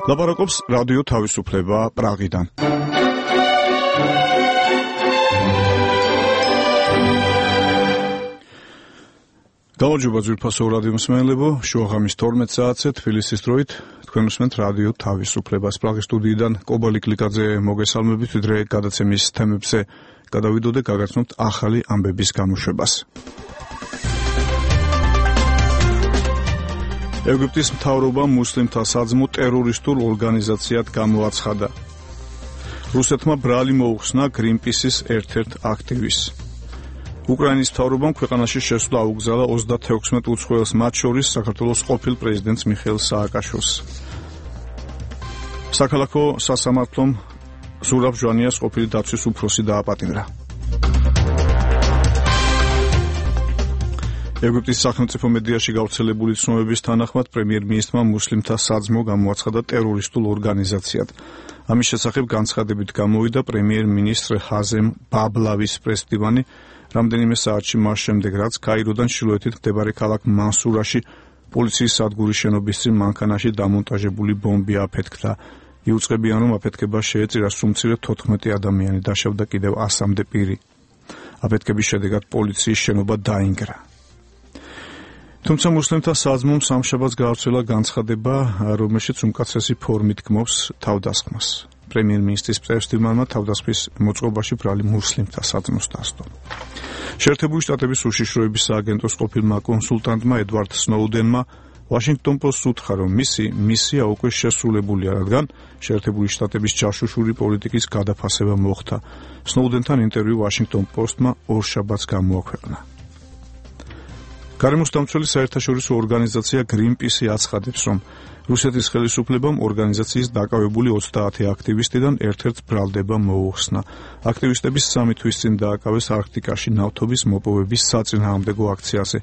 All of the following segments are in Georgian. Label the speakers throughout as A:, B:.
A: ლაპარაკობს რადიო თავისუფლება პრაღიდან. გამარჯობა ძვირფასო რადიო მსმენელებო, შუაღამის 12 საათზე თბილისის დროით თქვენ უსმენთ რადიო თავისუფლებას. პრაღის სტუდიიდან კობალი კლიკაძე მოგესალმებით, ვიდრე გადაცემის თემებზე გადავიდოდე, გაგაცნობთ ახალი ამბების გამოშვებას. ეგვიპტის მთავრობამ მუსლიმთა საძმო ტერორისტულ ორგანიზაციად გამოაცხადა. რუსეთმა ბრალი მოუხსნა გრინპისის ერთ-ერთ აქტივისტს. უკრაინის მთავრობამ ქვეყანაში შესვლა აუგზავნა 36 უცხოელს, მათ შორის საქართველოს ყოფილ პრეზიდენტს მიხეილ სააკაშვილს. საქალაქო სასამართლომ ზურაბ ჟვანიას ყოფილი დაცვის უფროსი დააპატიმრა. ეგვიპტის სახელმწიფო მედიაში გავრცელებული ცნობების თანახმად პრემიერ-მინისტრმა მუსლიმთა საძმო გამოაცხადა ტერორისტულ ორგანიზაციად. ამის შესახებ განცხადებით გამოვიდა პრემიერ-მინისტრ ჰაზემ ბაბლავის პრესდივანი რამდენიმე საათში მას შემდეგ, რაც კაიროდან ჩრდილოეთით მდებარე ქალაქ მანსურაში პოლიციის სადგურის შენობის წინ მანქანაში დამონტაჟებული ბომბი აფეთქდა. იუწყებიან, რომ აფეთქება შეეწირა, სუმცირე 14 ადამიანი, დაშავდა კიდევ 100-მდე პირი. აფეთქების შედეგად პოლიციის შენობა დაინგრა. თუმცა მუსლიმთა საძმომ სამშაბათს გაავრცელა განცხადება, რომელშიც უმკაცრესი ფორმით გმობს თავდასხმას. პრემიერ-მინისტრის პრესდივანმა თავდასხმის მოწყობაში ბრალი მუსლიმთა საძმოს დასდო. შეერთებული შტატების უშიშროების სააგენტოს ყოფილმა კონსულტანტმა ედვარდ სნოუდენმა ვაშინგტონ პოსტს უთხრა, რომ მისი მისია უკვე შესრულებულია, რადგან შეერთებული შტატების ჯაშუშური პოლიტიკის გადაფასება მოხდა. სნოუდენთან ინტერვიუ ვაშინგტონ პოსტმა ორშაბათს გამოაქვეყნა. გარემოსდამცველი საერთაშორისო ორგანიზაცია გრინპისი აცხადებს, რომ რუსეთის ხელისუფლებამ ორგანიზაციის დაკავებული 30 აქტივისტიდან ერთ-ერთ ბრალდება მოუხსნა. აქტივისტების 3 თვის წინ დააკავეს არქტიკაში ნავთობის მოპოვების საწინააღმდეგო აქციაზე,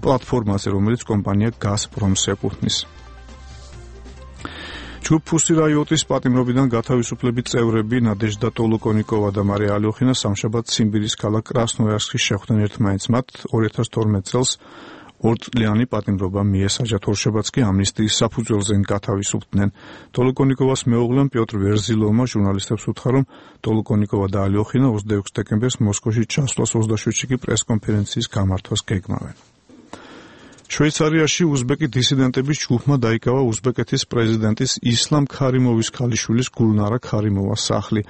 A: პლატფორმაზე, რომელიც კომპანია გაზპრომს ეკუთვნის. ჯგუფ ფუსი რაიოტის პატიმრობიდან გათავისუფლების წევრები ნადეჟდა ტოლოკონიკოვა და მარია ალოხინა სამშაბათს ციმბირის ქალაქ კრასნოიარსკში შეხვდნენ ერთმანეთს. მათ 2012 წელს 2 წლიანი პატიმრობა მიესაჯათ, ორშაბათს კი ამნისტიის საფუძველზე გათავისუფლდნენ. ტოლოკონიკოვას მეუღლემ პიოტრ ვერზილოვმა ჟურნალისტებს უთხრა, რომ ტოლოკონიკოვა და ალოხინა 26 დეკემბერს მოსკოვში ჩასვლას 27-ში კი პრესკონფერენციის გამართვას გეგმავენ. შვეიცარიაში უზბეკი დისიდენტების ჯგუფმა დაიკავა უზბეკეთის პრეზიდენტის ისლამ ქარიმოვის ქალიშვილის გულნარა ქარიმოვას სახლი.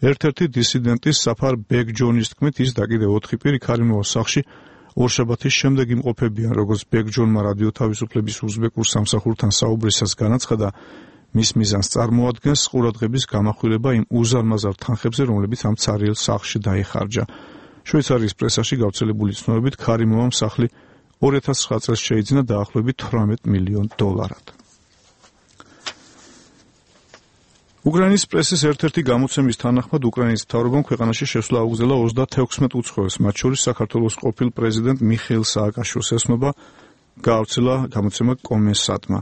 A: ერთ-ერთი დისიდენტის საფარ ბეგჯონის თქმით, ის და კიდევ 4 პირი ქარიმოვას სახლში ორშაბათის შემდეგ იმყოფებიან. როგორც ბეგჯონმა რადიო თავისუფლების უზბეკურ სამსახურთან საუბრისას განაცხადა, მის მიზანს წარმოადგენს ყურადღების გამახვილება იმ უზარმაზარ თანხებზე, რომლებიც ამ ცარიელ სახლში დაიხარჯა. შვეიცარიის პრესაში გავრცელებული ცნობებით, ქარიმოვამ სახლი 2009 წელს შეიძინა დაახლოებით $18 მილიონ. უკრაინის პრესის ერთ-ერთი გამოცემის თანახმად, უკრაინის მთავრობამ ქვეყანაში შესვლა აუგზავნა 36 უცხოელს, მათ შორის საქართველოს ყოფილ პრეზიდენტ მიხეილ სააკაშვილს. ესმობა გაავრცელა გამოცემა კომენსატმა.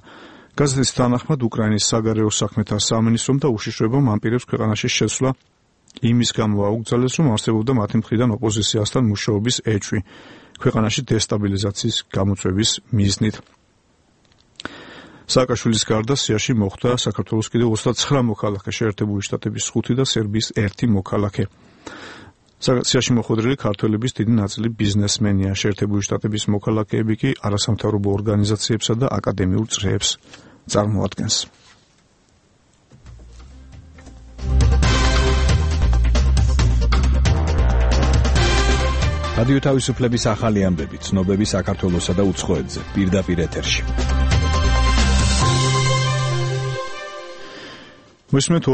A: გაზეთის თანახმად, უკრაინის საგარეო საქმეთა სამინისტრომ და უშიშროებამ ამ პირებს ქვეყანაში შესვლა იმის გამო აუგზავნეს, რომ არსებობდა მათი მხრიდან ოპოზიციასთან მუშაობის ეჭვი ქვეყანაში დესტაბილიზაციის გამოწვევის მიზნით. სააკაშვილის გარდა სიაში მოხვდა საქართველოს კიდევ 29 მოქალაქე, შეერთებული შტატების 5 და სერბიის 1 მოქალაქე. სიაში მოხვედრილი ქართველების დიდი ნაწილი ბიზნესმენია, შეერთებული შტატების მოქალაქეები კი არასამთავრობო ორგანიზაციებსა და აკადემიურ წრეებს წარმოადგენს.
B: რადიო თავისუფლების ახალი ამბები, ცნობები საქართველოსა და უცხოეთზე, პირდაპირ ეთერში.
A: მოსმენთ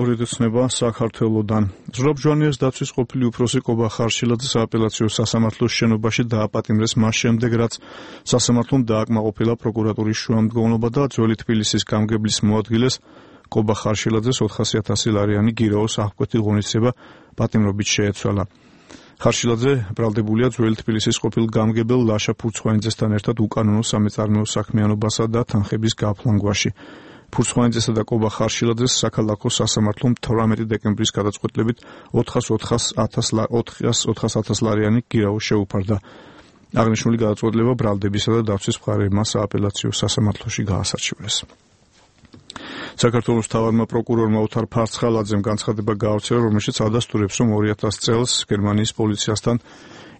A: ორი ცნება საქართველოდან. ზურაბ ჟვანიას დაცვის ყოფილი უფროსი კობა ხარშილაძის სააპელაციო სასამართლოს შენობაში დააპატიმრეს მას შემდეგ, რაც სასამართლომ დააკმაყოფილა პროკურატურის შუამდგომლობა და ძველი თბილისის გამგებლის მოადგილეს კობა ხარშილაძეს 400,000 ლარიანი გირაოს აღკვეთი ღონისძიება პატიმრობით შეეცვალა. ხარშილაძე ბრალდებულია ძველი თბილისის ყოფილ გამგებელ ლაშა ფურცხვანიძესთან ერთად უკანონო სამეწარმეო საქმიანობასა და თანხების გაფლანგვაში. ფურცხვანიძესა და კობა ხარშილაძეს საქალაქო სასამართლომ 18 დეკემბრის გადაწყვეტილებით 400,000 ლარიანი გირაო შეუფარდა. აღნიშნული გადაწყვეტილება ბრალდებისა და დაცვის მხარეებმა სააპელაციო სასამართლოში გაასარჩივრეს. საქართველოს თავადმა პროკურორმა ოთარ ფარცხალაძემ განცხადება გაავრცელა, რომელშიც ადასტურებს, რომ 2000 წელს გერმანიის პოლიციასთან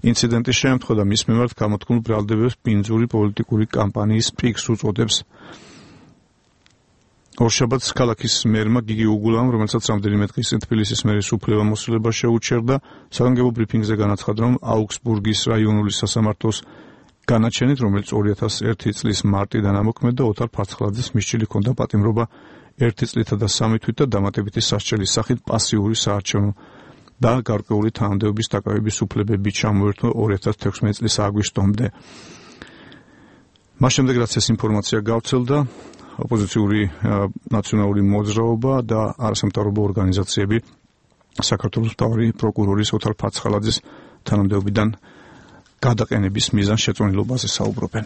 A: ინციდენტი შეემთხვა და მის მიმართ გამოთქმულ ბრალდებებს პინძური პოლიტიკური კამპანიის პიკს უწოდებს. ორშაბათს ქალაქის მერმა გიგი უგულამ, რომელსაც რამდენიმე დღის წინ თბილისის მერის უფლებამოსილება შეუჩერდა, საგანგებო ბრიფინგზე განაცხადა, რომ აუგსბურგის რაიონული სასამართლოს განაჩენით, რომელიც 2001 წლის მარტიდან ამოქმედდა, ოთარ ფარცხალაძეს მისჩილი ჰქონდა პატიმრობა 1 წლითა და 3 თვით და დამატებითი სასჯელის სახით პასიური საარჩევნო და გარკვეული თანამდებობის დაკავების უფლებები ჩამოერთვა 2016 წლის აგვისტომდე. მას შემდეგ, რაც ეს ინფორმაცია გავრცელდა, ოპოზიციური ნაციონალური მოძრაობა და არასამთავრობო ორგანიზაციები საქართველოს მთავარი პროკურორის ოთარ ფარცხალაძის თანამდებობიდან გადაყენების მიზანს შეწონილობაზე საუბრობენ.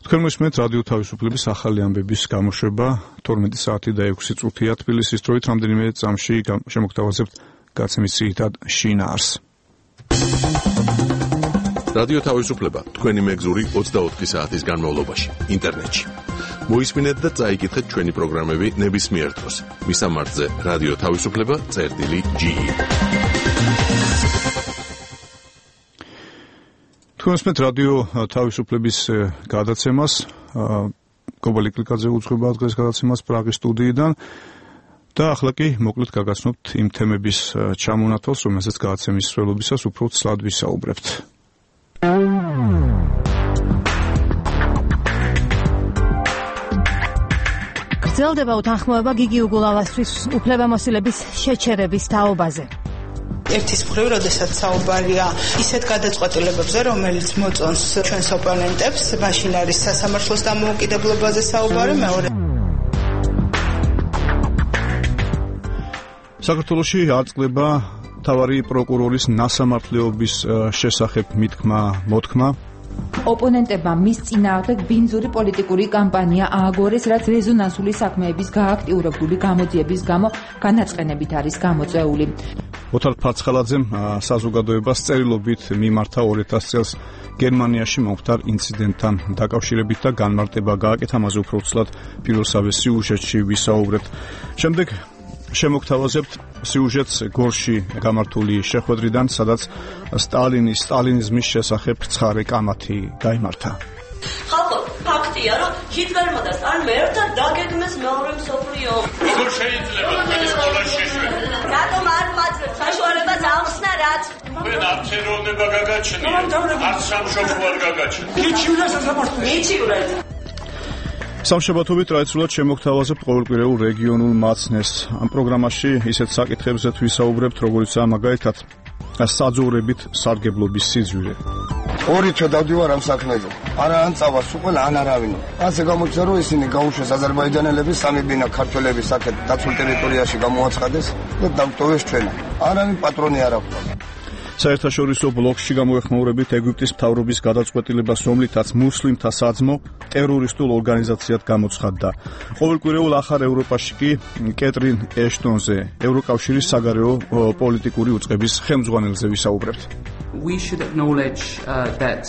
A: თქვენ მოსმენთ რადიო თავისუფლების ახალი ამბების გამოშვება 12 საათი და 6 წუთია თბილისის დროით. რამდენიმე წამში შემოგთავაზებთ გაცემის ძირითად შინაარსს.
C: რადიო თავისუფლება თქვენი მეგზური 24 საათის განმავლობაში ინტერნეტში. მოისმინეთ და წაიკითხეთ ჩვენი პროგრამები ნებისმიერ დროს. მისამართზე რადიო თავისუფლება.ge.
A: თქვენ მოსმენთ რადიო თავისუფლების გადაცემას. გობალი კლიკაძე უძღვება დღეს გადაცემას პრაღის სტუდიიდან. და ახლა კი მოკლედ გაგაცნობთ იმ თემების ჩამონათვალს, რომელსაც გადაცემის მსვლელობისას უფრო ცლად ვისაუბრებთ.
D: გრძელდება უთანხმოება გიგი უგულავასთვის უფლებამოსილების შეჩერების თაობაზე.
E: ერთის მხრივ, როდესაც საუბარია ისეთ გადაწყვეტილებებზე, რომელიც მოწონს ჩვენს ოპონენტებს, მაშინ არის სასამართლოს დამოუკიდებლობაზე საუბარი, მეორე
A: საქართველოში აწყდება მთავარი პროკურორის ნასამართლეობის შესახებ მოთქმა.
F: ოპონენტებმა მის წინააღმდეგ ბინძური პოლიტიკური კამპანია ააგორეს, რაც რეზონანსული საქმეების გააქტიურებული გამოძიების გამო განაწყენებით არის გამოწვეული.
A: ოთარ ფარცხალაძემ საზოგადოებას წერილობით მიმართა 2000 წელს გერმანიაში მომხდარ ინციდენტთან დაკავშირებით და განმარტება გააკეთა, ამაზე უფრო ცლად პირველსავე სიუჟეტში ვისაუბრებთ. შემდეგ შემოგთავაზებთ სიუჟეტს გორში გამართული შეხვედრიდან, სადაც სტალინიზმის შესახებ ცხარე კამათი გაიმართა.
G: ხალხო, ფაქტია, რომ ჰიტლერმა და სტალინმა ერთად დაგეგმეს მეორე მსოფლიო ომი.
H: როგორ შეიძლება თქვენი სკოლაში შეშვება?
G: რატომ არ მაძლევთ საშუალებას ახსნა რაც?
H: თქვენ არც ეროვნება გაგაჩნიათ, არც სამშობლო არ გაგაჩნიათ.
E: მიჩივრა სასამართლო.
G: მიჩივრეთ.
A: სამშაბათობით ტრადიციულად შემოგთავაზებთ ყოველკვირეულ რეგიონულ მაცნეს. ამ პროგრამაში ისეთ საკითხებზეც ვისაუბრებთ, როგორიცაა მაგალითად საძოვრებით სარგებლობის სიძვირე.
I: ორი თვე დავდივარ ამ საქმეზე. არა ან წავას უყველა, ან არავინო. ასე გამოჩნდა, რომ ისინი გაუშვეს აზერბაიჯანელების სამი ბინა ქართველების აქეთ დაცულ ტერიტორიაში გამოაცხადეს და დავტოვეს ჩვენ. არავინ პატრონი არ აქვს.
A: საერთაშორისო ბლოკში გამოეხმაურებით ეგვიპტის მთავრობის გადაწყვეტილებას, რომლითაც მუსლიმთა საძმო ტერორისტულ ორგანიზაციად გამოცხადდა. ყოველკვირეულ ახალ ევროპაში კი კეტრინ ეშტონზე, ევროკავშირის საგარეო პოლიტიკური უწყების ხელმძღვანელზე ვისაუბრებთ.
J: We should acknowledge that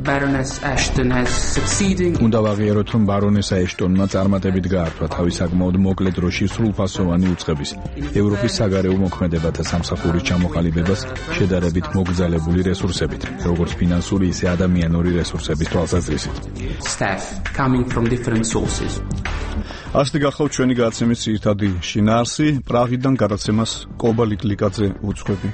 J: Baroness Ashton has succeeding.
B: უნდა ვაღიაროთ, რომ ბარონესა ეშტონმა წარმატებით გაართვა თავის საკმაოდ მოკლე დროში სრულფასოვანი უწყების ევროპის საგარეო მოქმედებათა სამსახურის ჩამოყალიბებას შედარებით მოგზალებული რესურსებით, როგორც ფინანსური, ისე ადამიანური რესურსების თვალსაზრისით.
J: Staff coming from different sources.
A: ასეთი გახლავთ ჩვენი გადაცემის ძირითადი შინაარსი. პრაღიდან გადაცემას კობალი კლიკაძე უძღვები.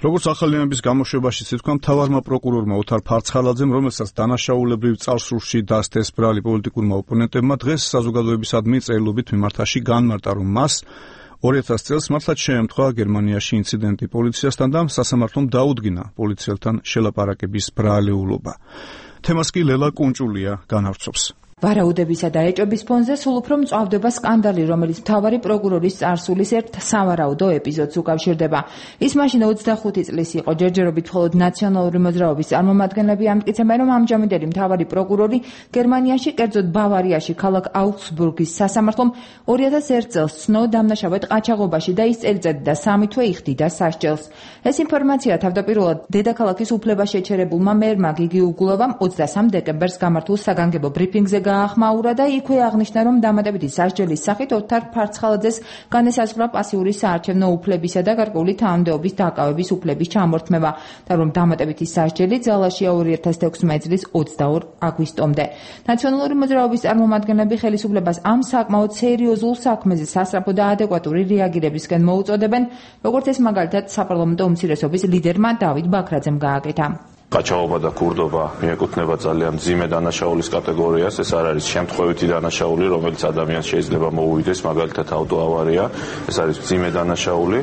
A: როგორც ახალი ამბების გამოშვებაში თქვა, მთავარმა პროკურორმა ოთარ ფარცხალაძემ, რომელსაც დანაშაულებრივ წარსულში დასდეს ბრალი პოლიტიკურმა ოპონენტებმა, დღეს საზოგადოებისადმი წერილობით მიმართაში განმარტა, რომ მას 2000 წელს მართლაც შეემთხვა გერმანიაში ინციდენტი პოლიციასთან და სასამართლომ დაუდგინა პოლიციელთან შელაპარაკების ბრალეულობა. თემას კი ლელა კუნჭულია განავრცობს.
F: ვარაუდებისა და ეჭვების ფონზე სულ უფრო მწვავდება სკანდალი, რომელიც მთავარი პროკურორის წარსულის ერთ სავარაუდო ეპიზოდს უკავშირდება. ის მაშინ 25 წლის იყო. ჯერჯერობით მხოლოდ ნაციონალური მოძრაობის წარმომადგენლები ამტკიცებენ, რომ ამჟამინდელი მთავარი პროკურორი გერმანიაში, კერძოდ ბავარიაში, ქალაქ აუგსბურგის სასამართლომ 2001 წელს ცნო დამნაშავედ ყაჩაღობაში და ის წელიწადი და 3 თვე იხდიდა სასჯელს. ეს ინფორმაცია თავდაპირველად დედაქალაქის უფლებაშეჩერებულმა მერმა გიგი უგულოვამ 23 დეკემბერს გამართულ საგანგებო ბრიფინგზე გაახმაურა და იქვე აღნიშნა, რომ დამატებითი სასჯელის სახით ოთარ ფარცხალაძეს განესაზღვრა პასიური საარჩევნო უფლებისა და გარკვეული თანამდებობის დაკავების უფლების ჩამორთმევა და რომ დამატებითი სასჯელი ძალაშია 2016 წლის 22 აგვისტომდე. ნაციონალური მოძრაობის წარმომადგენლები ხელისუფლებას ამ საკმაოდ სერიოზულ საქმეზე სასწრაფო და ადეკვატური რეაგირებისკენ მოუწოდებენ, როგორც ეს მაგალითად საპარლამენტო უმცირესობის ლიდერმა დავით ბაქრაძემ გააკეთა.
K: ყაჩაღობა და ქურდობა მიეკუთვნება ძალიან მძიმე დანაშაულის კატეგორიას. ეს არ არის შემთხვევითი დანაშაული, რომელიც ადამიანს შეიძლება მოუვიდეს, მაგალითად ავტოავარია. ეს არის მძიმე დანაშაული,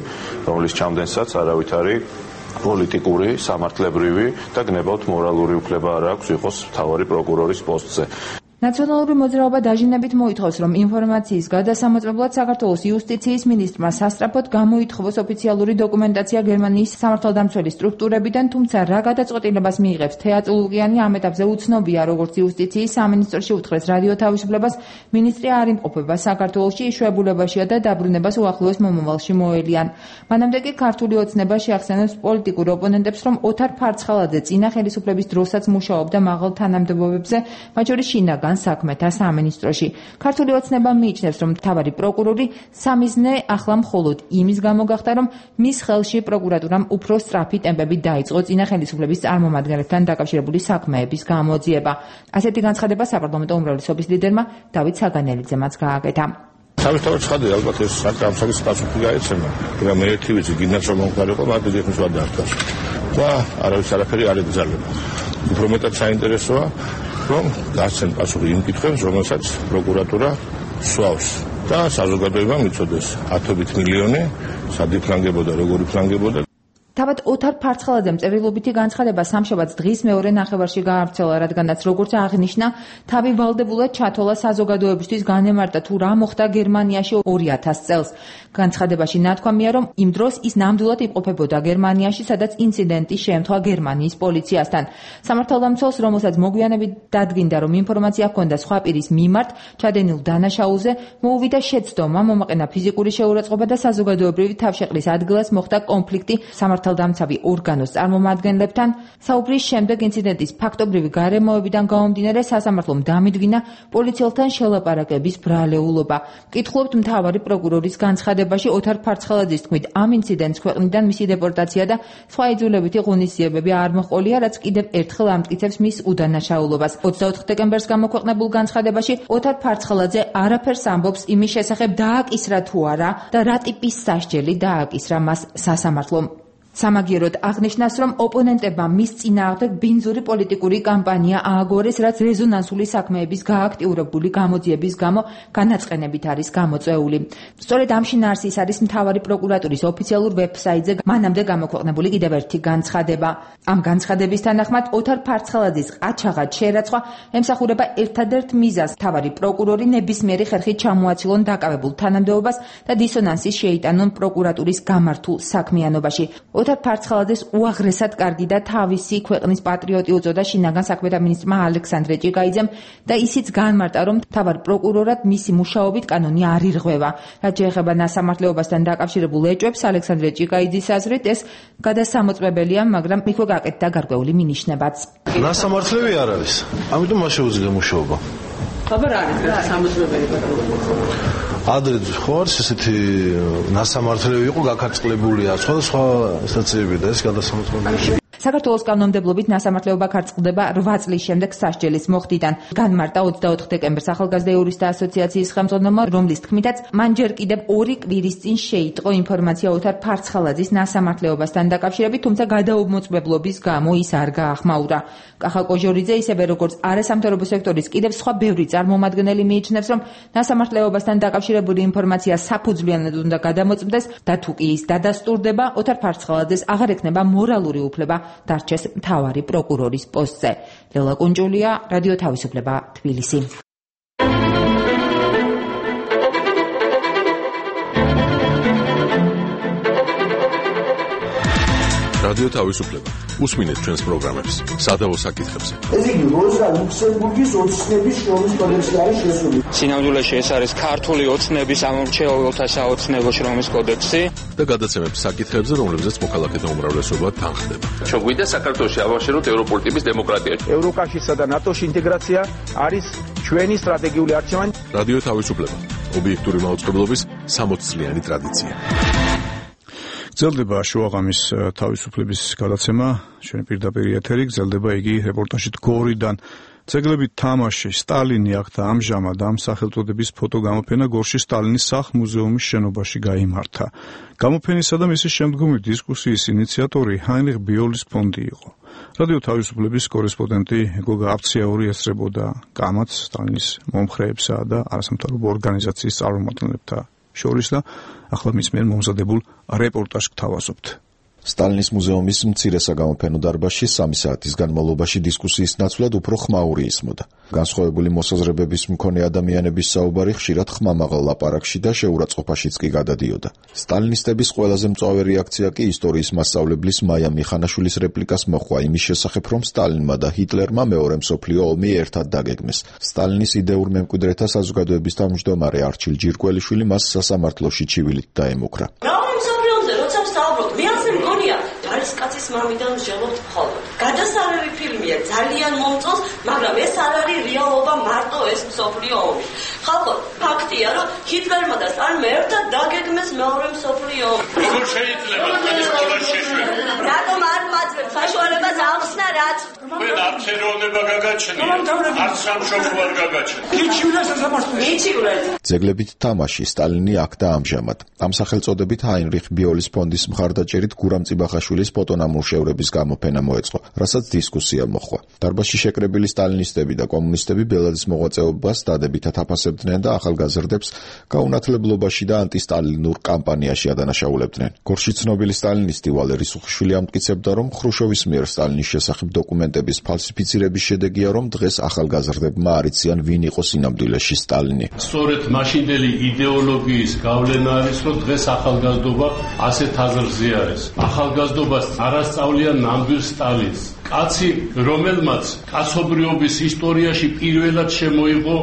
K: რომლის ჩამდენსაც არავით არის პოლიტიკური, სამართლებრივი და გნებავთ მორალური უფლება არ აქვს იყოს მთავარი პროკურორის პოსტზე.
F: ნაციონალური მოძრაობა დაჟინებით მოითხოვს, რომ ინფორმაციის გადასამოწმებლად საქართველოს იუსტიციის მინისტრმა სასწრაფოდ გამოითხოვოს ოფიციალური დოკუმენტაცია გერმანიის სამართალდამცველი სტრუქტურებიდან, თუმცა რა გადაწყვეტილებას მიიღებს თეატ ლუკიანი ამ ეტაპზე უცნობია, როგორც იუსტიციის სამინისტროში უთხრეს რადიო თავისუფლებას, მინისტრი არ იმყოფება საქართველოში, იშვიათობაშია და დაბრუნებას უახლოეს მომავალში მოელიან. მანამდე კი ქართული ოცნება შეახსენებს პოლიტიკურ ოპონენტებს, რომ ოთარ ფარცხალაძე წინა ხელისუფლების დროსაც მუშაობდა მაღალ თანამდებობებზე, მათ შორის შინაგან საქმეთა სამინისტროში. ქართული ოცნება მიიჩნევს, რომ მთავარი პროკურორი სამიზნე ახლა მხოლოდ იმის გამო გახდა, რომ მის ხელში პროკურატურამ უფრო სწრაფი ტემპები დაიწყო წინა ხელისუფლების წარმომადგენლებთან დაკავშირებული საქმეების გამოძიება. ასეთი განცხადება საპარლამენტო უმრავლესობის ლიდერმა დავით საგანელიძემაც გააკეთა.
L: სამთავრობო ცხადი ალბათ ეს საკითხის პასუხი გაეცემა, მაგრამ მე ერთი ვიცი, გინდათ რომ მომხდარიყო, მაგრამ ეგრეთ ვადარდას. და არავის არაფერი არ ეკრძალება. უფრო მეტად საინტერესოა რომ გასცენ პასუხი იმ კითხვებს, რომელსაც პროკურატურა სვავს და საზოგადოებამ იცოდეს ათობით მილიონი სად იფრანგებოდა, როგორ იფრანგებოდა.
F: თავად ოთარ ფარცხალაძემ წერილობითი განცხადება სამშაბათს დღის მეორე ნახევარში გაავრცელა, რადგანაც როგორც აღნიშნა, თავი ვალდებულად ჩათოლა საზოგადოებისთვის განემარტა თუ რა მოხდა გერმანიაში 2000 წელს. განცხადებაში ნათქვამია, რომ იმ დროს ის ნამდვილად იმყოფებოდა გერმანიაში, სადაც ინციდენტი შეემთხვა გერმანიის პოლიციასთან. სამართალდამცველს, რომელსაც მოგვიანებით დადგინდა, რომ ინფორმაცია ჰქონდა სხვა პირის მიმართ ჩადენილ დანაშაულზე, მოუვიდა შეცდომა, მომაყენა ფიზიკური შეურაცხყოფა და საზოგადოებრივი თავშეყრის ადგილას მოხდა კონფლიქტი სამართალდამცავი ორგანოს წარმომადგენლებთან. საუბრის შემდეგ ინციდენტის ფაქტობრივი გარემოებიდან გამომდინარე სასამართლომ დამიდგინა პოლიციელთან შელაპარაკების ბრალეულობა. მკითხულობთ მთავარი პროკურორის განცხადებაში ოთარ ფარცხალაძის თქმით, ამ ინციდენტს ქვეყნიდან მისი დეპორტაცია და სხვა იძულებითი ღონისძიებები არ მოჰყოლია, რაც კიდევ ერთხელ ამტკიცებს მის უდანაშაულობას. 24 დეკემბერს გამოქვეყნებულ განცხადებაში ოთარ ფარცხალაძე არაფერს ამბობს იმის შესახებ, დააკისრა თუ არა და რა ტიპის სასჯელი დააკისრა მას სასამართლომ. სამაგიეროდ აღნიშნავს, რომ ოპონენტებმა მის წინააღმდეგ ბინძური პოლიტიკური კამპანია ააგორეს, რაც რეზონანსული საქმეების გააქტიურებული გამოძიების გამო განაწყენებით არის გამოწვეული. სწორედ ამ შინაარსის არის მთავარი პროკურატურის ოფიციალურ ვებსაიტზე მანამდე გამოქვეყნებული კიდევ ერთი განცხადება. ამ განცხადების თანახმად ოთარ ფარცხალაძის ყაჩაღად შერაცხვა ემსახურება ერთადერთ მიზანს, მთავარი პროკურორი ნებისმიერი ხერხით ჩამოაცილონ დაკავებულ თანამდებობას და დისონანსის შეიტანონ პროკურატურის გამართულ საქმიანობაში. ოთარ ფარცხალაძეს უაღრესად კარგი და თავისი ქვეყნის პატრიოტი უწოდა შინაგან საქმეთა მინისტრმა ალექსანდრე ჭიკაიძემ და ისიც განმარტა, რომ მთავარ პროკურორად მისი მუშაობით კანონი არ ირღვევა. რაც შეეხება ნასამართლეობასთან დაკავშირებულ ეჭვებს, ალექსანდრე ჭიკაიძის აზრით ეს გადასამოწმებელია, მაგრამ იქვე გააკეთდა გარკვეული მინიშნებაც.
M: ნასამართლები არ არის, ამიტომ მას შეუძლია მუშაობა.
G: აბა რა არის გადასამოწმებელი პროკურორი?
M: ადრე ხო არის ესეთი ნასამართლები იყო გაქარწყლებულია სხვა სტაციები და ეს გადასამოწმებელი.
F: საქართველოს კანონმდებლობით ნასამართლეობა ქარწყლდება 8 წლის შემდეგ სასჯელის მოხდიდან. განმარტა 24 დეკემბერს ახალგაზრდა იურისტთა ასოციაციის ხელმძღვანელმა, რომლის თქმითაც მან ჯერ კიდევ 2 კვირის წინ შეიტყო ინფორმაცია ოთარ ფარცხალაძის ნასამართლეობასთან დაკავშირებით, თუმცა გადაუმოწმებლობის გამო ის არ გაახმაურა. კახა კოჟორიძე, ისევე როგორც არასამთავრობო სექტორის კიდევ სხვა ბევრი წარმომადგენელი მიიჩნევს, რომ ნასამართლეობასთან დაკავშირებული ინფორმაცია საფუძვლიანად უნდა გადამოწმდეს და თუ კი ის დადასტურდება, ოთარ ფარცხალაძეს აღარ ექნება მორალური უფლება დარჩეს მთავარი პროკურორის პოსტზე. ლელა კუნჭულია, რადიო თავისუფლება, თბილისი.
C: რადიო თავისუფლება. უსმინეთ ჩვენს პროგრამებს სადავო საკითხებზე.
N: ეს იგი როზა ლუქსემბურგის ოცნების შრომის კოდექსი არის შესული.
O: სინამდვილეში ეს არის ქართული ოცნების ამომრჩეველთა საოცნებო შრომის კოდექსი
C: და გადაცემებს საკითხებზე, რომლებზეც მოქალაქეთა უმრავლესობა თანხდება.
K: ჩოგვიდა საქართველოში ავაშენოთ ევროპული ტიპის დემოკრატია.
P: ევროკავშირსა და ნატოს ინტეგრაცია არის ჩვენი სტრატეგიული არჩევანი.
C: რადიო თავისუფლება. ობიექტური მაუწყებლობის 60 წლიანი ტრადიცია.
A: გრძელდება შუაღამის თავისუფლების გადაცემა, ჩვენი პირდაპირ ეთერი, გრძელდება იგი რეპორტაჟით გორიდან. ძეგლები თამაში, სტალინი აქ და ამჟამად ამ სახელწოდების ფოტოგამოფენა გორში სტალინის სახლ-მუზეუმის შენობაში გაიმართა. გამოფენისა და მისი შემდგომი დისკუსიის ინიციატორი ჰაინრიხ ბიოლის ფონდი იყო. რადიო თავისუფლების კორესპონდენტი გოგა აფციაური ესწრებოდა კამათს სტალინის მომხრეებსა და არასამთავრობო ორგანიზაციის წარმომადგენლებთან შორის და ახლა მის მიერ მომზადებულ რეპორტაჟს გთავაზობთ.
Q: სტალინის მუზეუმის მცირე საგამოფენო დარბაზში 3 საათის განმავლობაში დისკუსიის ნაცვლად უფრო ხმაური ისმოდა. განსხვავებული მოსაზრებების მქონე ადამიანების საუბარი ხშირად ხმამაღალ ლაპარაკში და შეურაცხყოფაშიც კი გადადიოდა. სტალინისტების ყველაზე მწვავე რეაქცია კი ისტორიის მასწავლებლის მაია მიხანაშვილის რეპლიკას მოჰყვა იმის შესახებ, რომ სტალინმა და ჰიტლერმა მეორე მსოფლიო ომი ერთად დაგეგმეს. სტალინის იდეურ მემკვიდრეთა საზოგადოების თავმჯდომარე არჩილ ჯირკველიშვილი მას სასამართლოში ჩივილით დაემუქრა.
G: არის კაცის მამიდან ვჟელობთ მხოლოდ. გადასარევი ფილმია, ძალიან მომწონს, მაგრამ ეს არ არის რეალობა, მარტო ეს მსოფლიო ომი. ხალხო, ფაქტია, რომ ჰიტლერმა და სტალინმა ერთად დაგეგმეს მეორე მსოფლიო ომი.
H: როგორ შეიძლება ეს სკოლაში შეშვება?
G: რატომ არ მაძლევთ საშუალებას ახსნა რაც?
H: თქვენ არც ეროვნება გაგაჩნია, არც სამშობლო არ გაგაჩნია.
G: მიჩივლეთ.
Q: ძეგლებით თამაში, სტალინი აქ და ამჟამად. ამ სახელწოდებით ჰაინრიხ ბიოლის ფონდის მხარდაჭერით გურამ წიბახაშვილის ფოტონამუშევრების გამოფენა მოეწყო, რასაც დისკუსია მოჰყვა. დარბაზში შეკრებილი სტალინისტები და კომუნისტები ბელადის მოღვაწეობას დადებითად აფასებდნენ და ახალგაზრდებს გაუნათლებლობაში და ანტისტალინურ კამპანიაში ადანაშაულებდნენ. გორში ცნობილი სტალინისტი ვალერი სუხიშვილი ამტკიცებდა, რომ ხრუშოვის მიერ სტალინის შესახებ დოკუმენტების ფალსიფიცირების შედეგია, რომ დღეს ახალგაზრდებმა არ იციან ვინ იყო სინამდვილეში სტალინი.
R: სწორედ მაშინდელი იდეოლოგიის გავლენა არის, რომ დღეს ახალგაზრდობა ასეთ აზრზე არის. ახალგაზრდობას არასწავლიან ნამდვილ სტალინს. კაცი, რომელმაც კაცობრიობის ისტორიაში პირველად შემოიღო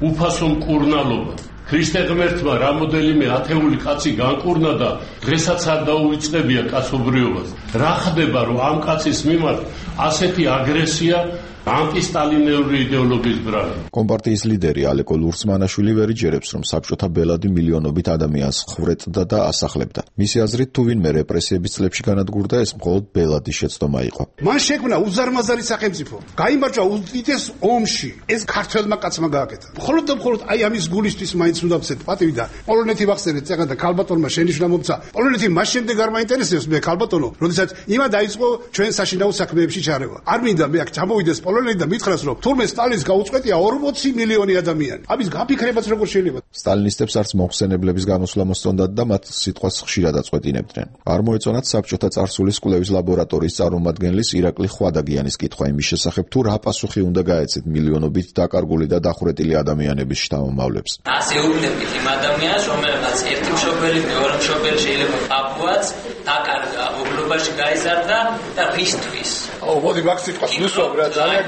R: უფასო მკურნალობა. ქრისტე ღმერთმა რამოდენიმე ათეული კაცი განკურნა და დღესაც არ დაუვიწყებია კაცობრიობას. რა ხდება, რომ ამ კაცის მიმართ ასეთი აგრესია ანტისტალინური იდეოლოგიის ბრალი.
Q: კომპარტიის ლიდერი ალეკო ლურსმანაშვილი ვერ იჯერებს, რომ საბჭოთა ბელადი მილიონობით ადამიანს ხვრეთდა და ასახლებდა. მისი აზრით, თუ ვინმე რეპრესიების წლებში განადგურდა, ეს მხოლოდ ბელადის შეცდომა იყო.
S: მან შექმნა უზარმაზარი სახელმწიფო. გაიმარჯვა უდიდეს ომში. ეს ქართველმა კაცმა გააკეთა. მხოლოდ და მხოლოდ აი ამის გულისთვის მაინც უნდა ვცეთ პატივი და პოლონეთი ვახსენეთ, წეგან და ქალბატონმა შენიშვნა მომცა. პოლონეთი მას შემდეგ არ მაინტერესებს მე ქალბატონო, როდესაც იმა დაიწყო ჩვენ საშინაო საქმეებში ჩარევა. არ მინდა მე აქ ჩამოვიდეს პოლონეთი და მითხრას, რომ თურმე სტალინს გაუწყვეტია 40 მილიონი ადამიანი. ამის გაფიქრებაც როგორ შეიძლება?
Q: სტალინისტებს არც მოხსენებლების გამოსვლა მოსწონდათ და მათ სიტყვას ხშირად აწყვეტინებდნენ. არ მოეწონათ საბჭოთა წარსულის კვლევის ლაბორატორიის წარმომადგენლის ირაკლი ხვადაგიანის კითხვა იმის შესახებ, თუ რა პასუხი უნდა გაეცეთ მილიონობით დაკარგული და დახვრეტილი ადამიანების შთამომავლებს.
T: ასე უგნებით იმ ადამიანს, რომელმაც ერთი მშობელი, მეორე მშობელი შეიძლება აპუაც დაკარგა, ობლობაში გაიზარდა და რისთვის?
S: მოდი მაგ სიტყვას ვისვამ რა, ძალიან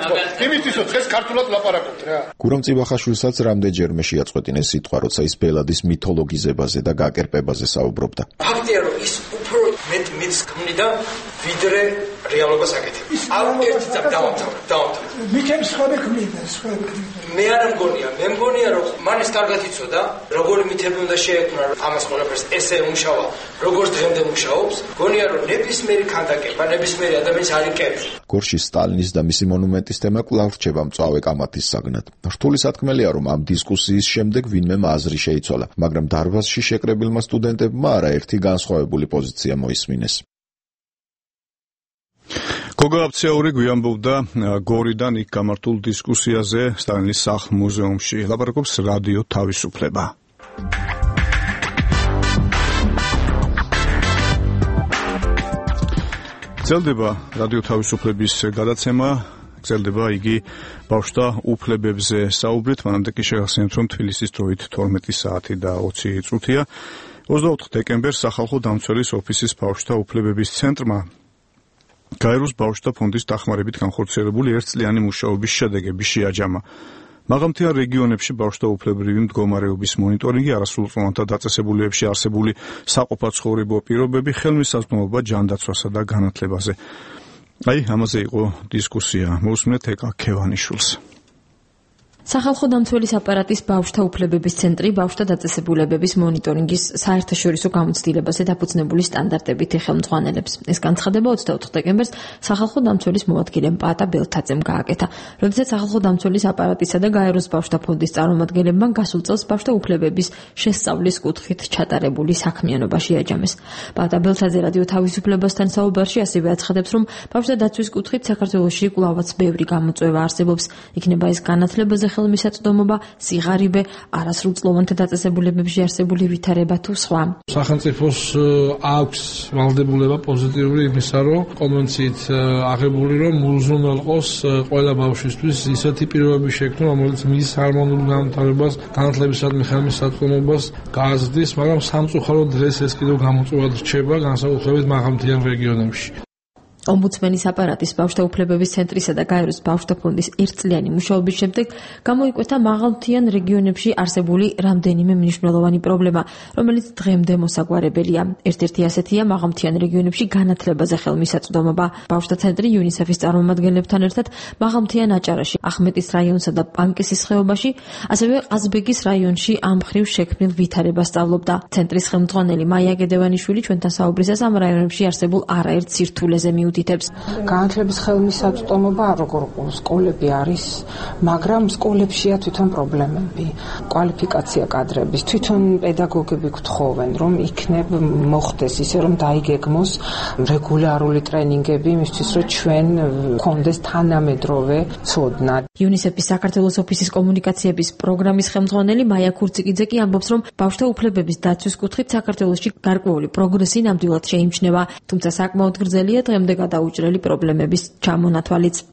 S: იმისთვის რომ დღეს ქართულად ლაპარაკობთ რა.
Q: გურამ წიბახაშვილსაც რამდენჯერმე შეაწყვეტინეს სიტყვა, როცა ის ბელადის მითოლოგიზებაზე და გაკერპებაზე საუბრობდა.
U: ფაქტია, რომ ის უფრო მეტ მითს ქმნიდა, ვიდრე რეალობას აკეთებდა. არ ერთი წამი დავამთავრე.
N: მითებს სხვები ქმნიდა.
U: მე არ მგონია, მე მგონია, რომ მან ის კარგად იცოდა, როგორი მითები უნდა შეექმნა, რომ ამას ყველაფერს ესე მუშავა, როგორც დღემდე მუშაობს. მგონია, რომ ნებისმიერი ქანდაკება, ნებისმიერი ადამიანი არ იკეთებს.
Q: გორში სტალინის და მისი მონუმენტის თემა კვლავ რჩება მწვავე კამათის საგნად. რთული სათქმელია, რომ ამ დისკუსიის შემდეგ ვინმე აზრი შეიცვალა, მაგრამ დარბაზში შეკრებილმა სტუდენტებმა არაერთი განსხვავებული პოზიცია მოისმინეს.
A: გოგა აფციაური გვიამბობდა გორიდან იქ გამართულ დისკუსიაზე სტალინის სახლ-მუზეუმში. ლაპარაკობს რადიო თავისუფლება. გრძელდება რადიო თავისუფლების გადაცემა, გრძელდება იგი ბავშვთა უფლებებზე საუბრით, მანამდე კი შეგახსენებთ, რომ თბილისის დროით 12 საათი და 20 წუთია. 24 დეკემბერს სახალხო დამცველის ოფისის ბავშვთა უფლებების ცენტრმა გაეროს ბავშვთა ფონდის დახმარებით განხორციელებული ერთწლიანი მუშაობის შედეგები შეაჯამა. მაღალმთიან რეგიონებში ბავშვთა უფლებრივი მდგომარეობის მონიტორინგი, არასრულწლოვანთა დაწესებულებებში არსებული საყოფაცხოვრებო პირობები, ხელმისაწვდომობა ჯანდაცვასა და განათლებაზე. ამაზე იყო დისკუსია. მოусმინეთ ეკა ქევანიშვილს.
D: სახალხო დამცველის აპარატის ბავშვთა უფლებების ცენტრი ბავშვთა დაწესებულებების მონიტორინგის საერთაშორისო გამოცდილებაზე დაფუძნებული სტანდარტებით ხელმძღვანელებს. ეს განცხადება 24 დეკემბერს სახალხო დამცველის მოადგილემ პაატა ბელთაძემ გააკეთა, როდესაც სახალხო დამცველის აპარატისა და გაეროს ბავშვთა ფონდის წარმომადგენლებმა გასულ წელს ბავშვთა უფლებების შესწავლის კუთხით ჩატარებული საქმიანობა შეაჯამეს. პაატა ბელთაძე რადიო თავისუფლებასთან საუბარში ასევე აცხადებს, რომ ბავშვთა დაცვის კუთხით საქართველოში კვლავაც ბევრი გამოწვევა არსებობს. იქნება ეს განათლებაზე ხელმისაწვდომობა, სიღარიბე, არასრულწლოვანთა დაწესებულებებში არსებული ვითარება თუ სხვა.
V: სახელმწიფოს აქვს ვალდებულება პოზიტიური იმისა, რომ კონვენციით აღებული, რომ უზრუნველყოს ყველა ბავშვისთვის ისეთი პირობები შექმნა, რომელიც მის ჰარმონიულ განვითარებას, განათლებისადმი ხელმისაწვდომობას გააზრდის, მაგრამ სამწუხაროდ დღეს ეს კიდევ გამოწვევად რჩება, განსაკუთრებით მაღალმთიან რეგიონებში.
D: ომბუდსმენის აპარატის ბავშვთა უფლებების ცენტრისა და გაეროს ბავშვთა ფონდის ერთწლიანი მუშაობის შემდეგ გამოიკვეთა მაღალმთიან რეგიონებში არსებული რამდენიმე მნიშვნელოვანი პრობლემა, რომელიც დღემდე მოსაგვარებელია. ერთ-ერთი ასეთია მაღალმთიან რეგიონებში განათლებაზე ხელმისაწვდომობა. ბავშვთა ცენტრი იუნისეფის წარმომადგენლებთან ერთად მაღალმთიან აჭარაში, ახმეტის რაიონსა და პანკისის ხეობაში, ასევე ყაზბეგის რაიონში ამ მხრივ შექმნილ ვითარებას სწავლობდა. ცენტრის ხელმძღვანელი მაია გედევანიშვილი ჩვენთან საუბრისას ამ რაიონებში არსებულ არაერთ სირთულეზე
W: განათლების ხელმისაწვდომობა როგორ სკოლები არის, მაგრამ სკოლებშია თვითონ პრობლემები. კვალიფიკაცია კადრების, თვითონ პედაგოგები გთხოვენ, რომ იქნებ მოხდეს ისე, რომ დაიგეგმოს რეგულარული ტრენინგები იმისთვის, რომ ჩვენ გქონდეს თანამედროვე ცოდნა.
D: იუნისეფის საქართველოს ოფისის კომუნიკაციების პროგრამის ხელმძღვანელი მაია ქურციკიძე კი ამბობს, რომ ბავშვთა უფლებების დაცვის კუთხით საქართველოში გარკვეული პროგრესი ნამდვილად შეიმჩნევა, თუმცა საკმაოდ გრძელია დღემდე გადაუჭრელი პრობლემების ჩამონათვალიც.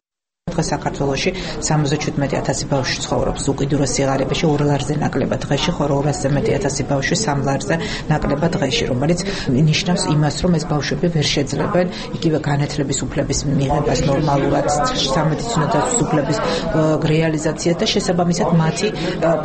X: დღეს საქართველოში 77,000 ბავშვი ცხოვრობს უკიდურეს სიღარიბეში 2 ლარზე ნაკლებად დღეში, ხოლო 200-ზე მეტი ათასი ბავშვი 3 ლარზე ნაკლებად დღეში, რომელიც ნიშნავს იმას, რომ ეს ბავშვები ვერ შეძლებენ იგივე განათლების უფლების მიღებას ნორმალურად, სამედიცინო დაცვის უფლების რეალიზაციას და შესაბამისად მათი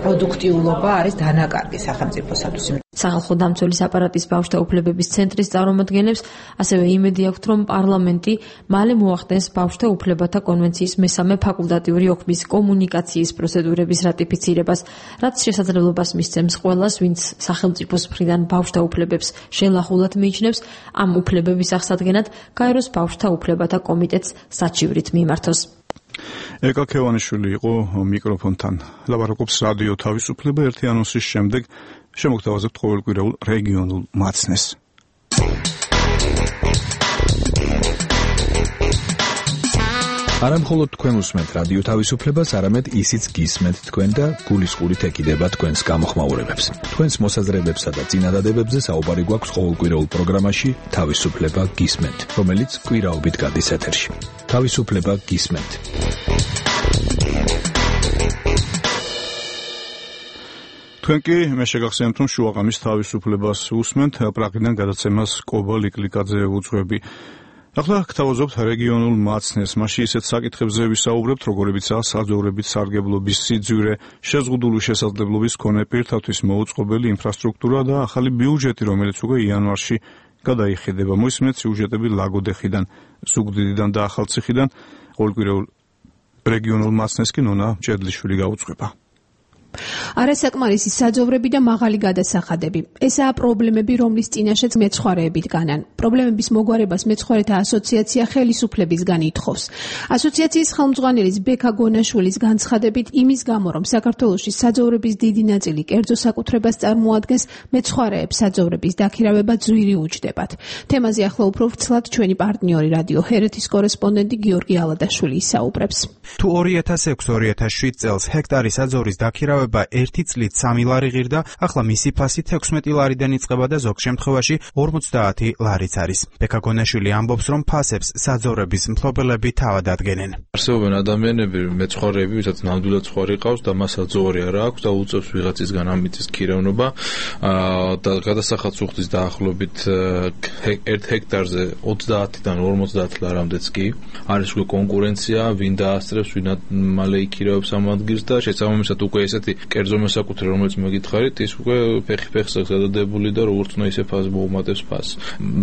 X: პროდუქტიულობა არის დანაკარგი სახელმწიფოსათვის.
D: სახალხო დამცველის აპარატის ბავშვთა უფლებების ცენტრის წარმომადგენლებს ასევე იმედი აქვთ, რომ პარლამენტი მალე მოახდენს ბავშვთა უფლებათა კონვენციის მესამე ფაკულტატიური ოქმის კომუნიკაციის პროცედურების რატიფიცირებას, რაც შესაძლებლობას მისცემს ყველას, ვინც სახელმწიფოს მხრიდან ბავშვთა უფლებებს შელახულად მიიჩნევს, ამ უფლებების აღსადგენად გაეროს ბავშვთა უფლებათა კომიტეტს საჩივრით მიმართოს.
A: ეკა ქევანიშვილი იყო მიკროფონთან. ლაპარაკობს რადიო თავისუფლება. ერთი ანონსის შემდეგ შემოგთავაზებთ ყოველკვირეულ რეგიონულ მაცნეს.
B: არა მხოლოდ თქვენ უსმენთ რადიო თავისუფლებას, არამედ ისიც გისმენთ თქვენ და გულისყურით ეკიდება თქვენს გამოხმაურებებს. თქვენს მოსაზრებებსა და წინადადებებზე საუბარი გვაქვს ყოველკვირეულ პროგრამაში თავისუფლება გისმენთ, რომელიც კვირაობით გადის ეთერში. თავისუფლება გისმენთ.
A: თქვენ კი მე შეგახსენებთ, რომ შუაღამის თავისუფლებას უსმენთ, პრაღიდან გადაცემას კობა ლიკლიკაძე უძღვები. ახლა გთავაზობთ რეგიონულ მაცნეს. მაშინ ისეთ საკითხებზე ვისაუბრებთ, როგორებიცაა საძოვრებით სარგებლობის სიძვირე, შეზღუდული შესაძლებლობის მქონე პირთათვის მოუწყობელი ინფრასტრუქტურა და ახალი ბიუჯეტი, რომელიც უკვე იანვარში გადაიხედება. მოისმენთ სიუჟეტები ლაგოდეხიდან, ზუგდიდიდან და ახალციხიდან. ყოველკვირეულ რეგიონულ მაცნეს კი ნონა ჭედლიშვილი გაუძღვება.
Y: არასაკმარისი საძოვრები და მაღალი გადასახადები. ესაა პრობლემები, რომლის წინაშეც მეცხვარეები დგანან. პრობლემების მოგვარებას მეცხვარეთა ასოციაცია ხელისუფლებისგან ითხოვს. ასოციაციის ხელმძღვანელის ბექა გონაშვილის განცხადებით, იმის გამო, რომ საქართველოში საძოვრების დიდი ნაწილი კერძო საკუთრებას წარმოადგენს, მეცხვარეებს საძოვრების დაქირავება ძვირი უჯდებათ. თემაზე ახლა უფრო ვრცლად ჩვენი პარტნიორი რადიო ჰერეთის კორესპონდენტი გიორგი ალადაშვილი ისაუბრებს.
Z: თუ 2006-2007 წელს ჰექტარი საძოვრის დაქირავება
E: მოპოვება 1 წლით 3 ლარი ღირდა, ახლა მისი ფასი 16 ლარიდან იწყება და ზოგ შემთხვევაში 50 ლარიც არის. ბექა გონაშვილი ამბობს, რომ ფასებს საძოვრების მფლობელები თავად ადგენენ.
B: არსებობენ ადამიანები, მეცხვარეები, ვისაც ნამდვილად ცხვარი ყავს და მას საძოვრი არ აქვს და უწევს ვიღაცისგან ამიტის ქირევნება და გადასახადს უხდის დაახლოებით 1 ჰექტარზე 30-დან 50 ლარამდეც კი. არის უკვე კონკურენცია, ვინ დაასწრებს, ვინ მალე იქირევებს ამ ადგილს და შესაბამისად უკვე ესეთი კერძო მოსაკუთრე, რომელიც მოგითხარით, ის უკვე ფეხი-ფეხს აქვს გადადებული და როგორც უნდა ისე ფასს მოუმატებს ფასს.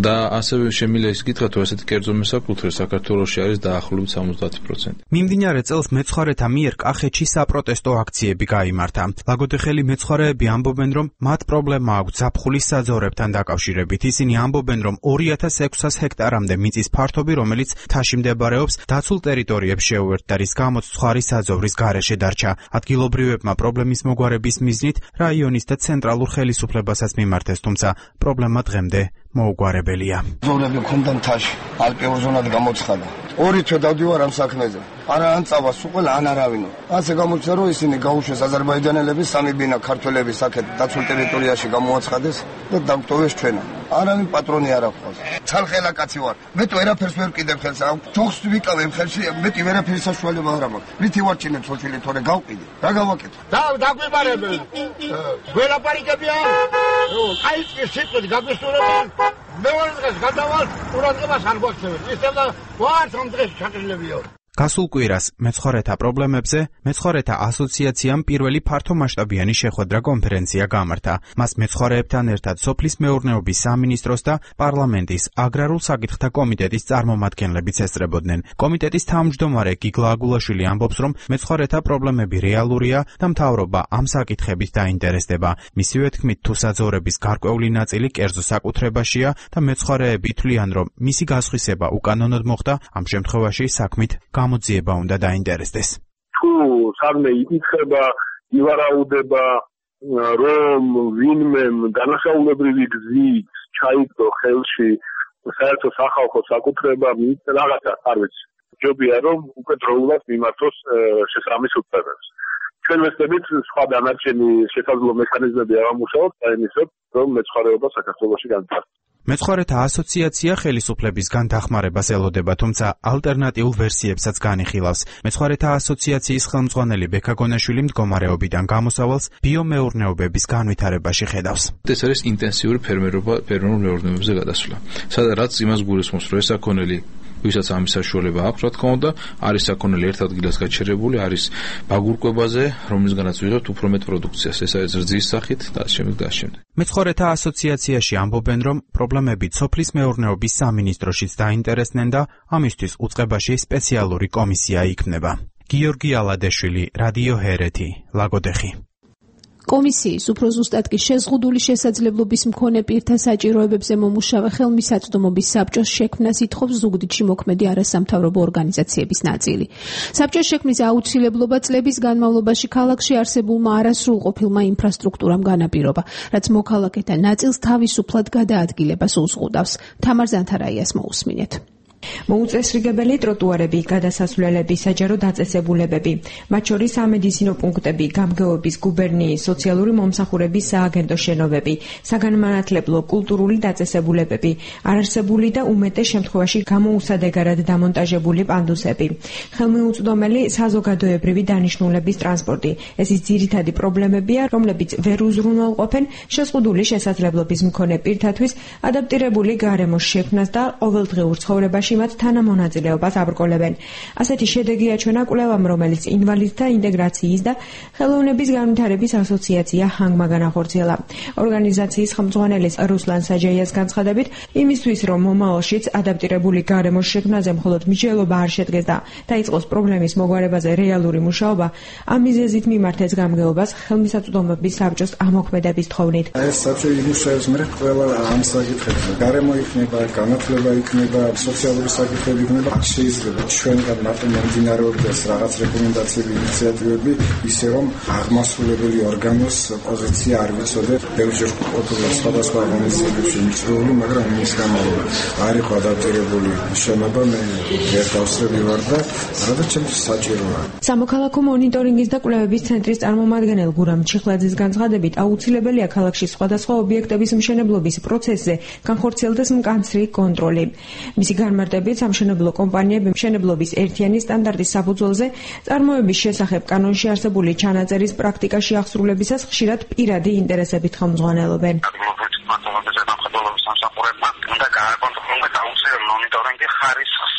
B: და ასევე შემიძლია ის გითხრათ, რომ ესეთი კერძო მოსაკუთრე საქართველოში არის დაახლოებით 70%.
E: მიმდინარე წელს მეცხვარეთა მიერ კახეთში საპროტესტო აქციები გაიმართა. ლაგოდეხელი მეცხვარეები ამბობენ, რომ მათ პრობლემა აქვს ზაფხულის საძოვრებთან დაკავშირებით. ისინი ამბობენ, რომ 2600 ჰექტარამდე მიწის ფართობი, რომელიც მთაში მდებარეობს, დაცულ ტერიტორიებს შეუერთდა, რის გამოც ცხვარი საძოვრის გარეშე დარჩა. ადგილობრივებმა პრობლემის მოგვარების მიზნით რაიონის და ცენტრალურ ხელისუფლებასაც მიმართეს, თუმცა პრობლემა დღემდე მოუგვარებელია.
I: ზოვრები მქონდა მთაში, ალპიურ ზონად გამოცხადა. 2 თვე დავდივარ ამ საქმეზე. არა ან წავას უყელ ან არავინო. ასე გამოჩნდა, რომ ისინი გაუშვეს აზერბაიჯანელების სამი ბინა ქართველების აქეთ დაცულ ტერიტორიაში გამოაცხადეს და დამტოვეს ჩვენა. არავინ პატრონი არ აქვს. ცალხელა კაცი ვარ. მე თუ ვერაფერს ვერ ვკიდებ ხელს, ჯოხს ვიკავებ ხელში, მეტი ვერაფერი საშუალება არ მაქვს. რითი ვარჩინებ სოჭილი თორე გავყიდე. რა გავაკეთო?
J: დაგვიბარებენ. გველაპარიკები არ. აი ის სიტყვით გაგვისურვებენ. მეორე დღეს გადავალ, ყურადღებას არ გვაქცევენ. ისევ და ვართ ამ დღეს ჩაკრილებიო.
E: გასულ კვირას მეცხვარეთა პრობლემებზე მეცხვარეთა ასოციაციამ პირველი ფართომასშტაბიანი შეხვედრა კონფერენცია გამართა. მას მეცხვარეებთან ერთად სოფლის მეურნეობის სამინისტროს და პარლამენტის აგრარულ საკითხთა კომიტეტის წარმომადგენლებიც ესწრებოდნენ. კომიტეტის თავმჯდომარე გიგლა აგულაშვილი ამბობს, რომ მეცხვარეთა პრობლემები რეალურია და მთავრობა ამ საკითხებით დაინტერესდება. მისივე თქმით, თუ საძოვრების გარკვეული ნაწილი კერძო საკუთრებაშია და მეცხვარეები თვლიან, რომ მისი გასხვისება უკანონოდ მოხდა, ამ შემთხვევაში საქმით გამოძიება უნდა დაინტერესდეს.
J: თუ სამე იკითხება, ივარაუდება, რომ ვინმე განახაულებრივი გზით ჩაიგდო ხელში საერთო სახალხო საკუთრება, რაღაცა არ ვიცი. ჯობია რომ უკვე დროულად მიმართოს შესაბამის უწყებებს. ჩვენ ვეცდებით სხვა დანარჩენი შესაძლო მექანიზმები ავამუშავოთ, დაიმისოთ, რომ მეცხვარეობა საქართველოში განვითარდეს.
E: მეცხვარეთა ასოციაცია ხელისუფლებისგან დახმარებას ელოდება, თუმცა ალტერნატიულ ვერსიებსაც განიხილავს. მეცხვარეთა ასოციაციის ხელმძღვანელი ბექა გონაშვილი მდგომარეობიდან გამოსავალს ბიომეურნეობების განვითარებაში ხედავს.
B: ეს არის ინტენსიური ფერმერულ მეურნეობებზე გადასვლა. სადაც იმას გულისხმობს, რომ ეს საქონელი ვისაც ამის საშუალება აქვს, რა თქმა უნდა, არის საქონელი ერთ ადგილას გაჩერებული, არის ბაგურკვებაზე, რომლისგანაც ვიღებთ უფრო მეტ პროდუქციას, ეს არის რძის სახით და შემდეგ.
E: მეცხვარეთა ასოციაციაში ამბობენ, რომ პრობლემები სოფლის მეურნეობის სამინისტროშიც დაინტერესდნენ და ამისთვის უწყებაში სპეციალური კომისია იქმნება. გიორგი ალადეშვილი, რადიო ჰერეთი, ლაგოდეხი.
Y: კომისიის უფრო ზუსტად კი შეზღუდული შესაძლებლობის მქონე პირთა საჭიროებებზე მომუშავე ხელმისაწვდომობის საბჭოს შექმნას ითხოვს ზუგდიდში მოქმედი არასამთავრობო ორგანიზაციების ნაწილი. საბჭოს შექმნის აუცილებლობა წლების განმავლობაში ქალაქში არსებულმა არასრულყოფილმა ინფრასტრუქტურამ განაპირობა, რაც მოქალაქეთა ნაწილს თავისუფლად გადაადგილებას უზღუდავს. თამარ ზანთარაიას მოусმინეთ.
L: მოუწესრიგებელი ტროტუარები, გადასასვლელები, საჯარო დაწესებულებები, მათ შორის სამედიცინო პუნქტები, გამგეობის გუბერნიის, სოციალური მომსახურების სააგენტო შენობები, საგანმანათლებლო, კულტურული დაწესებულებები, არარსებული და უმეტეს შემთხვევაში გამოუსადეგარად დამონტაჟებული პანდუსები, ხელმიუწვდომელი საზოგადოებრივი დანიშნულების ტრანსპორტი. ეს ის ძირითადი პრობლემებია, რომლებიც ვერ უზრუნველყოფენ შეზღუდული შესაძლებლობის მქონე პირთათვის ადაპტირებული გარემოს შექმნას და ყოველდღიურ ცხოვრებაში მათ თანამონაწილეობას აბრკოლებენ. ასეთი შედეგი აჩვენა კვლევამ, რომელიც ინვალიდთა ინტეგრაციის და ხელოვნების განვითარების ასოციაცია ჰანგმა განახორციელა. ორგანიზაციის ხელმძღვანელის რუსლან საჯაიას განცხადებით, იმისთვის, რომ მომავალშიც ადაპტირებული გარემოს შექმნაზე მხოლოდ მსჯელობა არ შედგეს და დაიწყოს პრობლემის მოგვარებაზე რეალური მუშაობა, ამ მიზეზით მიმართეს გამგეობას ხელმისაწვდომობის საბჭოს ამოქმედების თხოვნით.
M: ეს საბჭო იმუშავებს მე ყველა ამ საკითხებზე. გარემო იქნება, განათლება იქნება, სოციალური
F: განსხვავებული საკითხები იქნება. შეიძლება ჩვენგან მარტო მომდინარეობდეს რაღაც რეკომენდაციები, ინიციატივები, ისე რომ აღმასრულებელი ორგანოს პოზიცია არ ვიცოდეთ. ბევრჯერ ყოფილა სხვადასხვა ორგანიზაციებში მიწვეული, მაგრამ იმის გამო არ იყო ადაპტირებული შენობა, მე ერთავსრები ვარ და რაღაც ჩემთვის საჭიროა.
L: სამოქალაქო მონიტორინგის და კვლევების ცენტრის წარმომადგენელ გურამ ჩიხლაძის განცხადებით, აუცილებელია ქალაქში სხვადასხვა ობიექტების მშენებლობის პროცესზე განხორციელდეს მკაცრი კონტროლი. მისი განმარტებით, სამშენებლო კომპანიები მშენებლობის ერთიანი სტანდარტის საფუძველზე წარმოების შესახებ კანონში არსებული ჩანაწერის პრაქტიკაში აღსრულებისას ხშირად პირადი ინტერესებით ხელმძღვანელობენ.
K: უნდა გააკონტროლოს აუცილებელი მონიტორინგი ხარისხის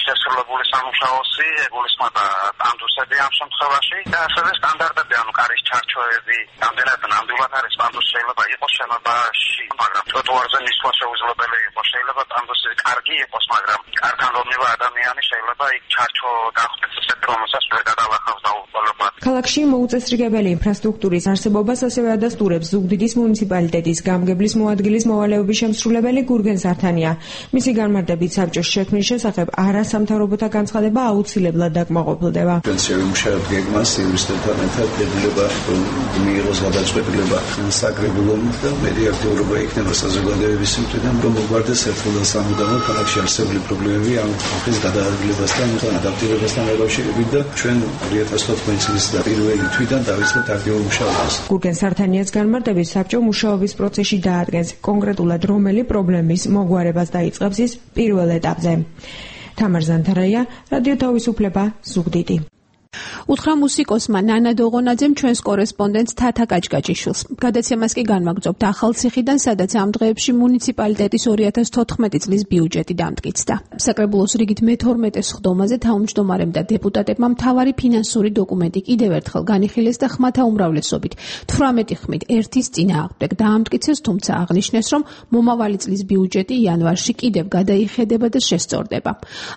K: შესრულებული სამუშაოსი, ეგულისხმება პანდუსები ამ შემთხვევაში და ასევე სტანდარტები, ანუ კარის ჩარჩოები, რამდენად ნამდვილად არის პანდუსი, შეიძლება იყოს შენობაში, მაგრამ ტროტუარზე მისვლა შეუძლებელი იყოს, შეიძლება პანდუსი კარგი იყოს, მაგრამ კარგან რომლივე ადამიანი შეიძლება იქ ჩარჩო დახვდეს ისეთ, რომელსაც ვერ გადალახავს დაუყოლებლად.
L: ქალაქში მოუწესრიგებელი ინფრასტრუქტურის არსებობას ასევე ადასტურებს ზუგდიდის მუნიციპალიტეტის გამგებლის მოადგილის მოვალეობის შემსრულებელი გურგენ სართანია. მისი განმარტებით, საბჭოს შექმნის შესახებ არასამთავრობოთა განცხადება აუცილებლად დაკმაყოფილდება.
M: პენსიური მუშაობ გეგმას იურისტებთან ერთად დებულება მიიღოს გადაწყვეტილება საკრებულობით და მეტი აქტიურობა იქნება საზოგადოების მხრიდან, რომ მოგვარდეს ერთხელ და სამუდამოდ ქალაქში არსებული პრობლემები ამ ხალხის გადაადგილებასთან და ადაპტირებასთან დაკავშირებით და ჩვენ 2014 წლის პირველი თვიდან დავიწყებთ აქტიურ მუშაობას.
L: გურგენ სართანიას განმარტებით, საბჭო მუშაობის პროცესში დაადგენს კონკრეტულად რომელი პრობლემის მოგვარებას დაიწყებს ის პირველ ეტაპზე. თამარ ზანთარაია, რადიო თავისუფლება, ზუგდიდი.
Y: უთხრა მუსიკოსმა ნანა დოღონაძემ ჩვენს კორესპონდენტს თათა კაჭკაჭიშვილს. გადაცემას კი განმაგრძობთ ახალციხიდან, სადაც ამ დღეებში მუნიციპალიტეტის 2014 წლის ბიუჯეტი დამტკიცდა. საკრებულოს რიგით მე-12 სხდომაზე თავმჯდომარემ და დეპუტატებმა მთავარი ფინანსური დოკუმენტი კიდევ ერთხელ განიხილეს და ხმათა უმრავლესობით 18 ხმით ერთის წინააღმდეგ დაამტკიცეს, თუმცა აღნიშნეს, რომ მომავალი წლის ბიუჯეტი იანვარში კიდევ გადაიხედება და შესწორდება.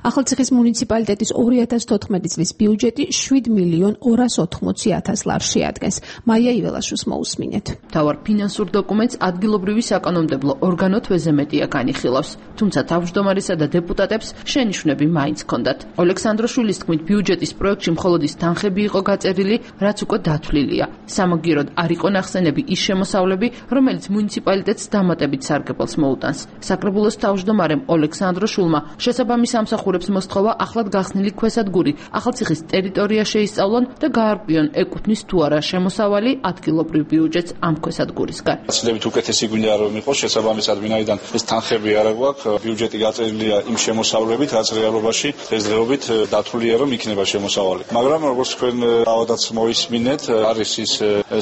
Y: ახალციხის მუნიციპალიტეტის 2014 წლის ბიუჯეტი 7.280.000 ლარს შეადგენს. მაია იველაშვილს მოусმინეთ.
O: თავარ ფინანსურ დოკუმენტს ადგილობრივი საკანონმდებლო ორგანო თვეზე მეტია განიხილავს, თუმცა თავმჯდომარესა და დეპუტატებს შენიშვნები მაინც ჰქონდათ. ოლექსანდროშვილის თქმით, ბიუჯეტის პროექტში მხოლოდ ის თანხები იყო გაწერილი, რაც უკვე დათვლილია. სამაგიეროდ არ იყო ნახსენები ის შემოსავლები, რომელიც მუნიციპალიტეტს დამატებით სარგებელს მოუტანს. საკრებულოს თავმჯდომარემ ოლექსანდროშვილმა შესაბამის ამსახურებს მოსთხოვა ახლად გახსნილი ქვესადგური ახალციხის ტერიტორია შეისწავლონ და გაარკვიონ ეკუთვნის თუ არა შემოსავალი ადგილობრივ ბიუჯეტს ამ ქვესადგურისგან.
P: გაცილებით უკეთესი გვინდა რომ იყოს შესაბამისად ვინაიდან ეს თანხები არ გვაქვს, ბიუჯეტი გაწერილია იმ შემოსავლებით, რაც რეალობაში დღესდღეობით დათვლილია რომ იქნება შემოსავალი. მაგრამ როგორც თქვენ თავადაც მოისმინეთ, არის ის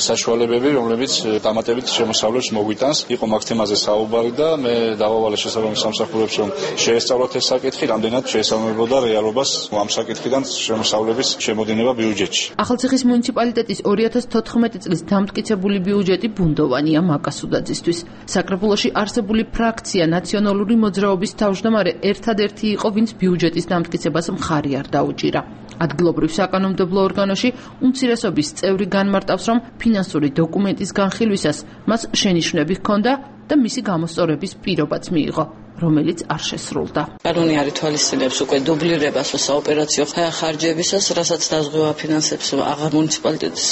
P: საშუალებები, რომლებიც დამატებით შემოსავლებს მოგვიტანს. იყო მაგ თემაზე საუბარი და მე დავავალე შესაბამის სამსახურებს რომ შეესწავლოთ ეს საკითხი, რამდენად შეესაბამებოდა რეალობას ამ საკითხიდან შემოსავლების შემოდინება ბიუჯეტში.
O: ახალციხის მუნიციპალიტეტის 2014 წლის დამტკიცებული ბიუჯეტი ბუნდოვანია მაკასუდაძისთვის. საკრებულოში არსებული ფრაქცია ნაციონალური მოძრაობის თავმჯდომარე ერთადერთი იყო, ვინც ბიუჯეტის დამტკიცებას მხარი არ დაუჭირა. ადგილობრივ საკანონმდებლო ორგანოში უმცირესობის წევრი განმარტავს, რომ ფინანსური დოკუმენტის განხილვისას მას შენიშვნები ჰქონდა და მისი გამოსწორების პირობაც მიიღო, რომელიც არ შესრულდა.
G: კანონი არ ითვალისწინებს უკვე დუბლირებას საოპერაციო ხარჯებისას, რასაც დაზღვევა ფინანსებს აღარ მუნიციპალიტეტს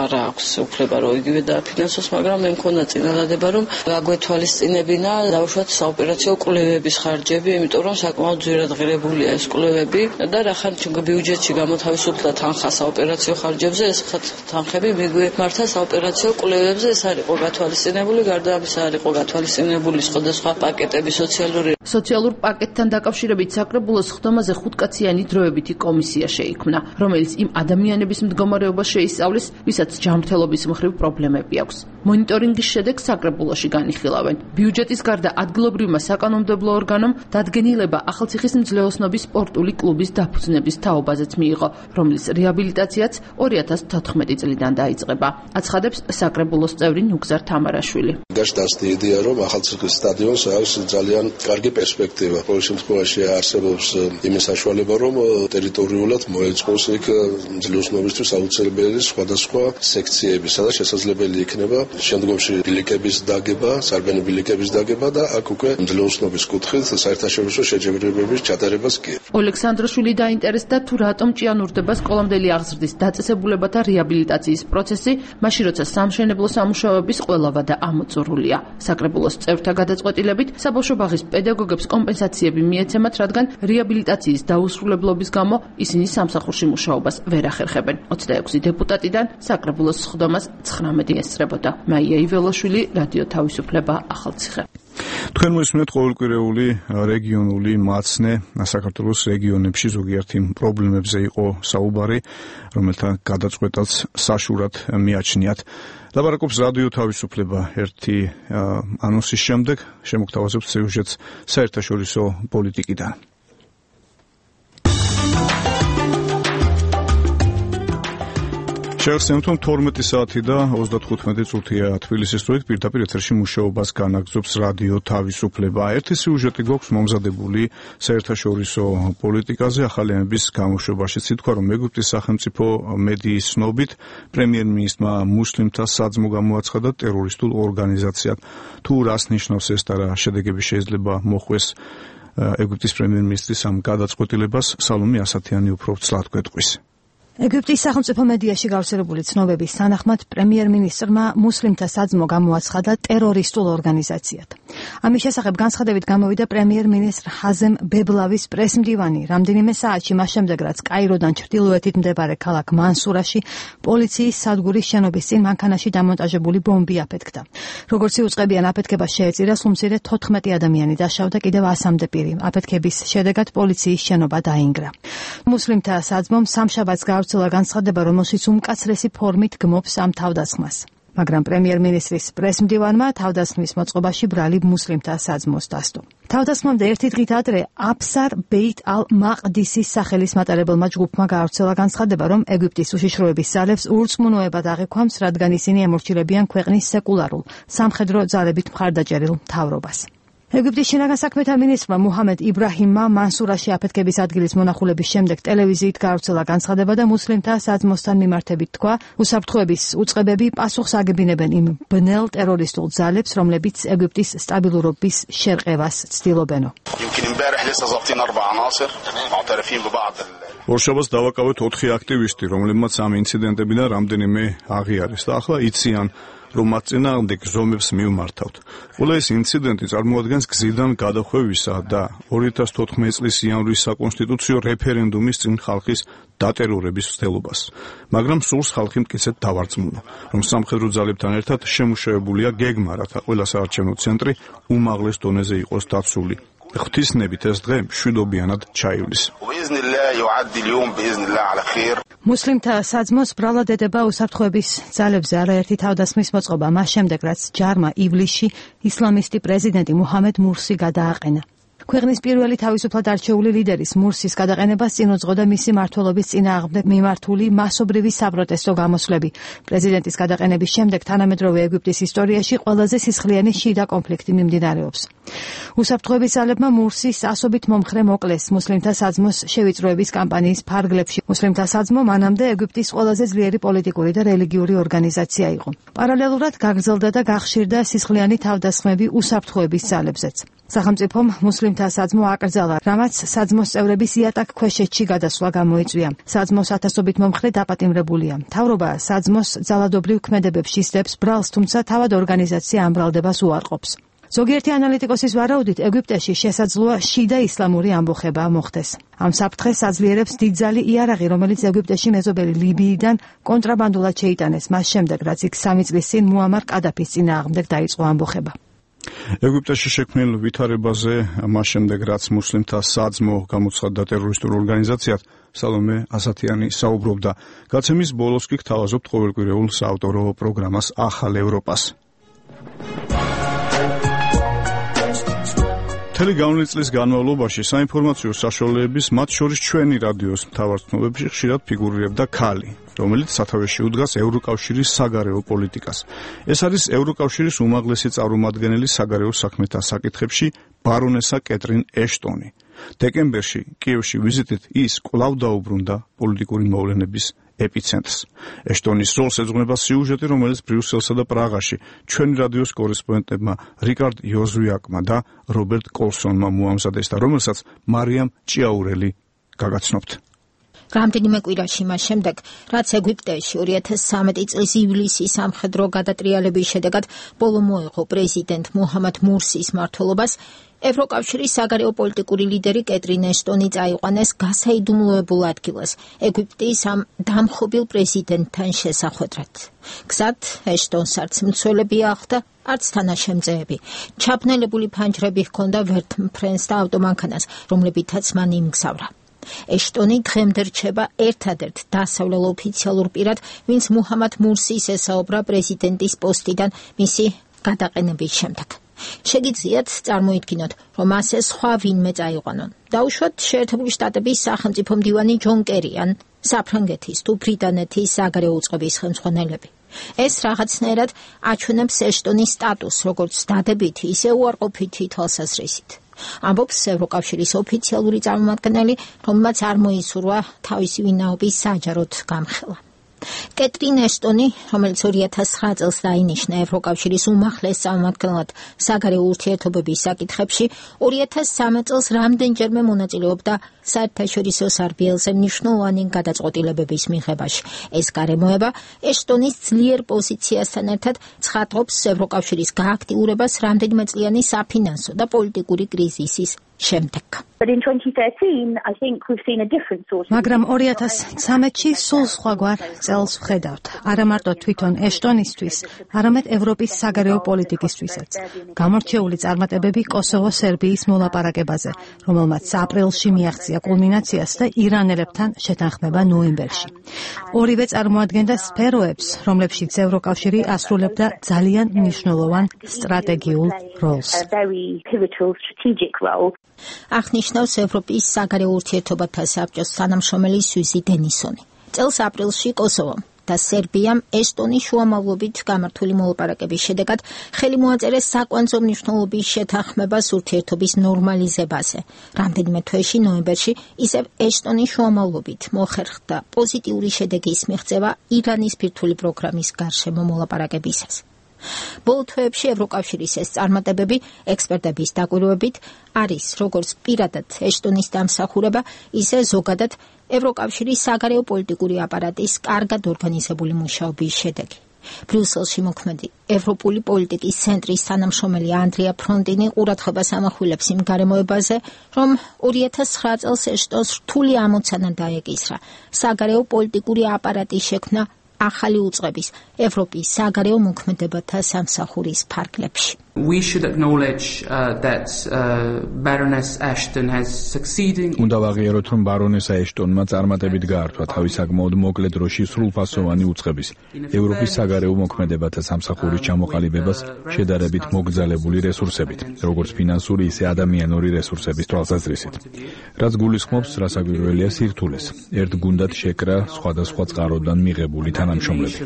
G: არ აქვს უფლება რომ იგივე დააფინანსოს, მაგრამ მე მქონდა წინადადება რომ გაგვეთვალისწინებინა დავუშვათ საოპერაციო კვლევების ხარჯები, იმიტომ რომ საკმაოდ ძვირად ღირებულია ეს კვლევები და რახან ბიუჯეტში გამოთავისუფლდა თანხა საოპერაციო ხარჯებზე, ეს თანხები მიგვიმართა საოპერაციო კვლევებზე, ეს არ იყო გათვალისწინებული, გარდა ამისა არ იყო გათვალისწინებული სხვადასხვა პაკეტები
O: სოციალურ პაკეტთან დაკავშირებით საკრებულოს ხდომაზე 5-კაციანი დროებითი კომისია შეიქმნა, რომელიც იმ ადამიანების მდგომარეობას შეისწავლის, ვისაც ჯანმრთელობის მხრივ პრობლემები აქვს. მონიტორინგის შედეგს საკრებულოში განიხილავენ. ბიუჯეტის გარდა ადგილობრივმა საკანონმდებლო ორგანომ დადგენილება ახალციხის მძლეოსნობის სპორტული კლუბის დაფუძნების თაობაზეც მიიღო, რომლის რეაბილიტაციაც 2014 წლიდან დაიწყება. აცხადებს საკრებულოს წევრი ნუგზარ თამარაშვილი.
M: გაშტას იდეა რომ ახალციხის სტადიონს აქვს ძალიან
C: კარგი პერსპექტივა. ყოველ შემთხვევაში არსებობს იმის საშუალება, რომ ტერიტორიულად მოეწყოს იქ ძლოსნობისთვის აუცილებელი სხვადასხვა სექციები, სადაც შესაძლებელი იქნება შემდგომში ბილიკების დაგება, სარბენი ბილიკების დაგება და აქ უკვე ძლოსნობის კუთხით საერთაშორისო შეჯიბრებების ჩატარებას კი.
O: ოლექსანდროშვილი დაინტერესდა თუ რატომ ჭიანურდება სკოლამდელი აღზრდის დაწესებულებათა რეაბილიტაციის პროცესი, მაშინ როცა სამშენებლო სამუშაოების ყველა ვადა ამოწურულია. საკრებულოს წევრთა გადაწყვეტილებით საბავშვო ბაღის პედაგოგებს კომპენსაციები მიეცემათ, რადგან რეაბილიტაციის დაუსრულებლობის გამო ისინი სამსახურში მუშაობას ვერ ახერხებენ. 26 დეპუტატიდან საკრებულოს სხდომას 19 ესწრებოდა. მაია იველაშვილი, რადიო თავისუფლება, ახალციხე.
A: თქვენ მოისმენთ ყოველკვირეული რეგიონული მაცნე საქართველოს რეგიონებში ზოგიერთი პრობლემებზე იყო საუბარი, რომელთა გადაწყვეტაც საშურად მიაჩნიათ. ლაპარაკობს რადიო თავისუფლება ერთი ანონსის შემდეგ, შემოგთავაზებთ სიუჟეტს საერთაშორისო პოლიტიკიდან. შევხსენებთ, 12 საათი და 35 წუთია თბილისის დროით პირდაპირ ეთერში მუშაობას განაგრძობს რადიო თავისუფლება. ერთი სიუჟეტი გვაქვს მომზადებული საერთაშორისო პოლიტიკაზე ახალი ამების გამოშვებაშიც. ითქვა, რომ ეგვიპტის სახელმწიფო მედიის ცნობით პრემიერ-მინისტრმა მუსლიმთა საძმო გამოაცხადა ტერორისტულ ორგანიზაციად. თუ რას ნიშნავს ეს და რა შედეგები შეიძლება მოხვეს ეგვიპტის პრემიერ-მინისტრის ამ გადაწყვეტილებას, სალომე ასათიანი უფრო ცლად გვეტყვის.
H: ეგვიპტის სახელმწიფო მედიაში გავრცელებული ცნობების თანახმად პრემიერ-მინისტრმა მუსლიმთა საძმო გამოაცხადა ტერორისტულ ორგანიზაციად. ამის შესახებ განცხადებით გამოვიდა პრემიერ-მინისტრ ჰაზემ ბებლავის პრესმდივანი რამდენიმე საათში მას შემდეგ, რაც კაიროდან ჩრდილოეთით მდებარე ქალაქ მანსურაში პოლიციის სადგურის შენობის წინ მანქანაში დამონტაჟებული ბომბი აფეთქდა. როგორც იუწყებიან, აფეთქებას შეეწირა სულ მცირე 14 ადამიანი დაშავდა, კიდევ 100-მდე პირი. აფეთქების შედეგად პოლიციის შენობა დაინგრა. მუსლიმთა საძმომ სამშაბათს გავრცელა განცხადება, რომელშიც უმკაცრესი ფორმით გმობს ამ თავდასხმას. მაგრამ პრემიერ-მინისტრის პრესმდივანმა თავდასხმის მოწყობაში ბრალი მუსლიმთა საძმოს დასდო. თავდასხმამდე ერთი დღით ადრე აფსარ ბეით ალ-მაყდისის სახელის მატარებელმა ჯგუფმა გავრცელა განცხადება, რომ ეგვიპტის უშიშროების ძალებს ურწმუნოებად აღიქვამს, რადგან ისინი ემორჩილებიან ქვეყნის სეკულარულ, სამხედრო ძალებით მხარდაჭერილ მთავრობას. ეგვიპტის შინაგან საქმეთა მინისტრმა მუჰამედ იბრაჰიმმა მანსურაში აფეთქების ადგილის მონახულების შემდეგ ტელევიზიით გავრცელა განცხადება და მუსლიმთა საძმოსთან მიმართებით თქვა, უსაფრთხოების უწყებები პასუხს აგებინებენ იმ ბნელ ტერორისტულ ძალებს, რომლებიც ეგვიპტის სტაბილურობის შერყევას ცდილობენო.
A: ორშაბათს დავაკავეთ 4 აქტივისტი, რომლებმაც ამ ინციდენტებიდან რამდენიმე აღიარეს და ახლა იციან, რომ მათ წინააღმდეგ ზომებს მივმართავთ. ყველა ეს ინციდენტი წარმოადგენს გზიდან გადახვევისა და 2014 წლის იანვრის საკონსტიტუციო რეფერენდუმის წინ ხალხის დატერორების მცდელობას. მაგრამ სულს ხალხი მტკიცედ დავარწმუნა, რომ სამხედრო ძალებთან ერთად შემუშავებულია გეგმა, რათა ყველა საარჩევნო ცენტრი უმაღლეს დონეზე იყოს დაცული. ღვთისნებით ეს დღე მშვიდობიანად ჩაივლის.
H: მუსლიმთა საძმოს ბრალად ედება უსაფრთხოების ძალებზე არაერთი თავდასხმის მოწყობა მას შემდეგ, რაც ჯარმა ივლისში ისლამისტი პრეზიდენტი მუჰამედ მურსი გადააყენა. ქვეყნის პირველი თავისუფლად არჩეული ლიდერის მურსის გადაყენებას წინ უძღოდა მისი მმართველობის წინააღმდეგ მიმართული მასობრივი საპროტესტო გამოსვლები. პრეზიდენტის გადაყენების შემდეგ თანამედროვე ეგვიპტის ისტორიაში ყველაზე სისხლიანი შიდა კონფლიქტი მიმდინარეობს. უსაფრთხოების ძალებმა მურსის ასობით მომხრე მოკლეს მუსლიმთა საძმოს შევიწროების კამპანიის ფარგლებში. მუსლიმთა საძმო მანამდე ეგვიპტის ყველაზე ძლიერი პოლიტიკური და რელიგიური ორგანიზაცია იყო. პარალელურად გაგრძელდა და გახშირდა სისხლიანი თავდასხმები უსაფრთხოების ძალებზეც. სახელმწიფომ მუსლიმთა საძმო აკრძალა, რამაც საძმოს წევრების იატაკქვეშეთში გადასვლა გამოიწვია. საძმოს ათასობით მომხრე დაპატიმრებულია. მთავრობა საძმოს ძალადობრივ ქმედებებს ისდებს ბრალს, თუმცა თავად ორგანიზაცია ამ ბრალდებას უარყოფს. ზოგიერთი ანალიტიკოსის ვარაუდით, ეგვიპტეში შესაძლოა შიდა ისლამური ამბოხება მოხდეს. ამ საფრთხეს აძლიერებს დიდძალი იარაღი, რომელიც ეგვიპტეში მეზობელი ლიბიიდან კონტრაბანდულად შეიტანეს მას შემდეგ, რაც იქ 3 წლის წინ მუამარ კადაფის წინააღმდეგ დაიწყო ამბოხება.
A: ეგვიპტეში შექმნილ ვითარებაზე მას შემდეგ, რაც მუსლიმთა საძმო გამოცხადდა ტერორისტულ ორგანიზაციად, სალომე ასათიანი საუბრობდა. გაცემის ბოლოს კი გთავაზობთ ყოველკვირეულ საავტორო პროგრამას ახალ ევროპას. მთელი გავლენის წლის განმავლობაში საინფორმაციო საშუალებების, მათ შორის ჩვენი რადიოს მთავარ ცნობებში ხშირად ფიგურირებდა ქალი, რომელიც სათავეში უდგას ევროკავშირის საგარეო პოლიტიკას. ეს არის ევროკავშირის უმაღლესი წარმომადგენელი საგარეო საქმეთა საკითხებში ბარონესა კეტრინ ეშტონი. დეკემბერში კიევში ვიზიტით ის კვლავ დაუბრუნდა პოლიტიკური მოვლენების ეპიცენტრს. ეშტონის როლს ეძღვნება სიუჟეტი, რომელიც ბრიუსელსა და პრაღაში ჩვენი რადიოს კორესპონდენტებმა რიკარდ იოზვიაკმა და რობერტ კოლსონმა მოამზადეს და რომელსაც მარიამ ჭიაურელი გაგაცნობთ.
N: რამდენიმე კვირაში მას შემდეგ, რაც ეგვიპტეში 2013 წლის ივლისის სამხედრო გადატრიალების შედეგად ბოლო მოეღო პრეზიდენტ მუჰამად მურსის მმართველობას, ევროკავშირის საგარეო პოლიტიკური ლიდერი კეტრინ ეშტონი წაიყვანეს გასაიდუმლოებულ ადგილას ეგვიპტის ამ დამხობილ პრეზიდენტთან შესახვედრად. გზად ეშტონს არც მცველები ახლდა, არც თანაშემწეები. ჩაბნელებული ფანჯრები ჰქონდა ვერტმფრენს და ავტომანქანას, რომლებითაც მან იმგზავრა. ეშტონი დღემდე რჩება ერთადერთ დასავლელ ოფიციალურ პირად, ვინც მუჰამად მურსის ესაუბრა პრეზიდენტის პოსტიდან მისი გადაყენების შემდეგ. შეგიძლიათ წარმოიდგინოთ, რომ ასე სხვა ვინმე წაიყვანონ. დაუშვათ შეერთებული შტატების სახელმწიფო მდივანი ჯონ კერი ან საფრანგეთის თუ ბრიტანეთის საგარეო უწყების ხელმძღვანელები. ეს რაღაცნაირად აჩვენებს ეშტონის სტატუსს, როგორც დადებითი, ისე უარყოფითი თვალსაზრისით. ამბობს ევროკავშირის ოფიციალური წარმომადგენელი, რომელმაც არ მოისურვა თავისი ვინაობის საჯაროდ გამხელა. კეტრინ ეშტონი, რომელიც 2009 წელს დაინიშნა ევროკავშირის უმაღლეს წარმომადგენლად საგარეო ურთიერთობების საკითხებში, 2013 წელს რამდენჯერმე მონაწილეობდა საერთაშორისო სარბიელზე მნიშვნელოვანი გადაწყვეტილებების მიღებაში. ეს გარემოება ეშტონის ძლიერ პოზიციასთან ერთად ცხადყოფს ევროკავშირის გააქტიურებას რამდენიმე წლიანი საფინანსო და პოლიტიკური კრიზისის შემდეგ.
H: მაგრამ 2013-ში სულ სხვაგვარ წელს ვხედავთ. არა მარტო თვითონ ეშტონისთვის, არამედ ევროპის საგარეო პოლიტიკისთვისაც. გამორჩეული წარმატებები კოსოვო-სერბიის მოლაპარაკებაზე, რომელმაც აპრილში მიაღწია კულმინაციას და ირანელებთან შეთანხმება ნოემბერში. ორივე წარმოადგენდა სფეროებს, რომლებშიც ევროკავშირი ასრულებდა ძალიან მნიშვნელოვან სტრატეგიულ როლს. აღნიშნავს ევროპის საგარეო ურთიერთობათა საბჭოს თანამშრომელი სუზი დენისონი. წელს აპრილში კოსოვომ და სერბიამ ეშტონის შუამავლობით გამართული მოლაპარაკების შედეგად ხელი მოაწერეს საკვანძო მნიშვნელობის შეთანხმებას ურთიერთობის ნორმალიზებაზე. რამდენიმე თვეში ნოემბერში ისევ ეშტონის შუამავლობით მოხერხდა პოზიტიური შედეგის მიღწევა ირანის ბირთვული პროგრამის გარშემო მოლაპარაკებისას. ბოლო თვეებში ევროკავშირის ეს წარმატებები ექსპერტების დაკვირვებით არის როგორც პირადად ეშტონის დამსახურება, ისე ზოგადად ევროკავშირის საგარეო პოლიტიკური აპარატის კარგად ორგანიზებული მუშაობის შედეგი. ბრიუსელში მოქმედი ევროპული პოლიტიკის ცენტრის თანამშრომელი ანდრია ფრონტინი ყურადღებას ამახვილებს იმ გარემოებაზე, რომ 2009 წელს ეშტონს რთული ამოცანა დაეკისრა საგარეო პოლიტიკური აპარატის შექმნა ახალი უწყების ევროპის საგარეო მოქმედებათა სამსახურის ფარგლებში.
B: უნდა ვაღიაროთ, რომ ბარონესა ეშტონმა წარმატებით გაართვა თავის საკმაოდ მოკლე დროში სრულფასოვანი უწყების ევროპის საგარეო მოქმედებათა სამსახურის ჩამოყალიბებას შედარებით მოგზალებული რესურსებით, როგორც ფინანსური, ისე ადამიანური რესურსების თვალსაზრისით. რაც გულისხმობს, რასაკვირველია სირთულეს. ერთ გუნდად შეკრა სხვადასხვა წყაროდან მიღებული თანამშრომლები.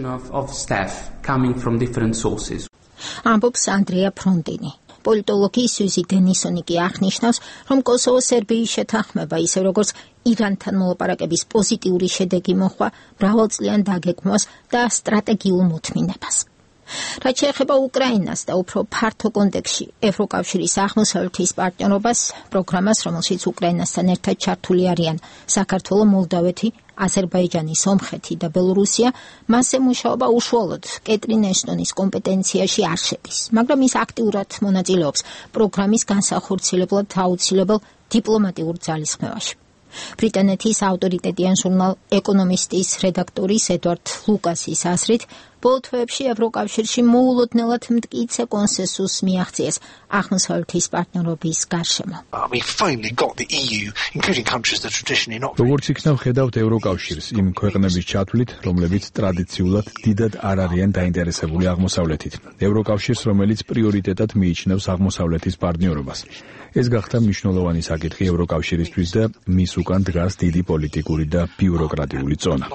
N: ამბობს ანდრია ფრონტინი. პოლიტოლოგი სუზი დენისონი კი აღნიშნავს, რომ კოსოვო-სერბიის შეთანხმება, ისე როგორც ირანთან მოლაპარაკების პოზიტიური შედეგი მოჰყვა მრავალწლიან დაგეგმვას და სტრატეგიულ მოთმინებას. რაც შეეხება უკრაინას და უფრო ფართო კონტექსში ევროკავშირის აღმოსავლეთის პარტნიორობას, პროგრამას, რომელშიც უკრაინასთან ერთად ჩართული არიან საქართველო, მოლდავეთი, აზერბაიჯანი, სომხეთი და ბელორუსია, მასზე მუშაობა უშუალოდ კეტრინ ეშტონის კომპეტენციაში არ შედის, მაგრამ ის აქტიურად მონაწილეობს პროგრამის განსახორციელებლად აუცილებელ დიპლომატიურ ძალისხმევაში. ბრიტანეთის ავტორიტეტიან ჟურნალ ეკონომისტის რედაქტორის ედვარდ ლუკასის აზრით, ბოლო თვეებში ევროკავშირში მოულოდნელად მტკიცე კონსენსუსს მიაღწიეს აღმოსავლეთის პარტნიორობის გარშემო.
B: როგორც იქნა ვხედავთ ევროკავშირს იმ ქვეყნების ჩათვლით, რომლებიც ტრადიციულად დიდად არ არიან დაინტერესებული აღმოსავლეთით. ევროკავშირს, რომელიც პრიორიტეტად მიიჩნევს აღმოსავლეთის პარტნიორობას. ეს გახდა მნიშვნელოვანი საკითხი ევროკავშირისთვის და მის უკან დგას დიდი პოლიტიკური და ბიუროკრატიული წონა.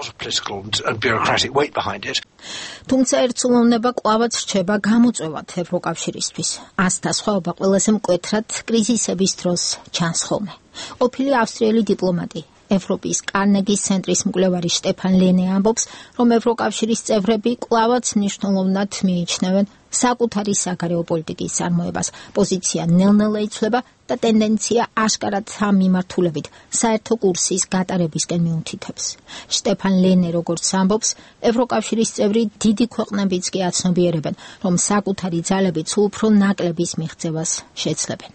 N: თუმცა ერთსულოვნება კვლავაც რჩება გამოწვევად ევროკავშირისთვის. ასთა სხვაობა ყველაზე მკვეთრად კრიზისების დროს ჩანს ხოლმე. ყოფილი ავსტრიელი დიპლომატი ევროპის კარნეგის ცენტრის მკვლევარი შტეფან ლენე ამბობს, რომ ევროკავშირის წევრები კვლავაც მნიშვნელოვნად მიიჩნევენ საკუთარი საგარეო პოლიტიკის წარმოებას. პოზიცია ნელ-ნელა იცვლება და ტენდენცია აშკარად ამ მიმართულებით საერთო კურსის გატარებისკენ მიუთითებს. შტეფან ლენე როგორც ამბობს, ევროკავშირის წევრი დიდი ქვეყნებიც კი აცნობიერებენ, რომ საკუთარი ძალებით უფრო ნაკლების მიღწევას შეცლებენ.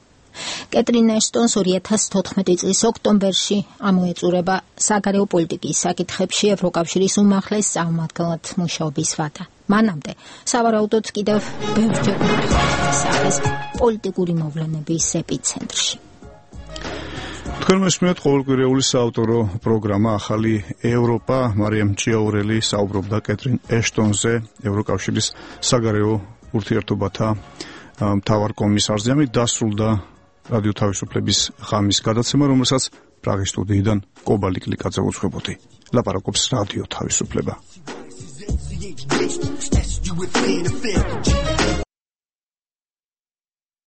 N: კეტრინ ეშტონს 2014 წლის ოქტომბერში ამოეწურება საგარეო პოლიტიკის საკითხებში ევროკავშირის უმაღლეს წარმომადგენლად მუშაობის ვადა. მანამდე სავარაუდოდ კიდევ ბევრჯერ არის პოლიტიკური მოვლენების ეპიცენტრში.
A: თქვენ მოსმენთ ყოველკვირეული საავტორო პროგრამა ახალი ევროპა. მარიამ ჭიაურელი საუბრობდა კეტრინ ეშტონზე, ევროკავშირის საგარეო ურთიერთობათა მთავარ კომისარზე. ამით დასრულდა რადიო თავისუფლების ღამის გადაცემა, რომელსაც პრაღის სტუდიიდან კობალი კლიკაძე უძღვებოდი. ლაპარაკობს რადიო თავისუფლება.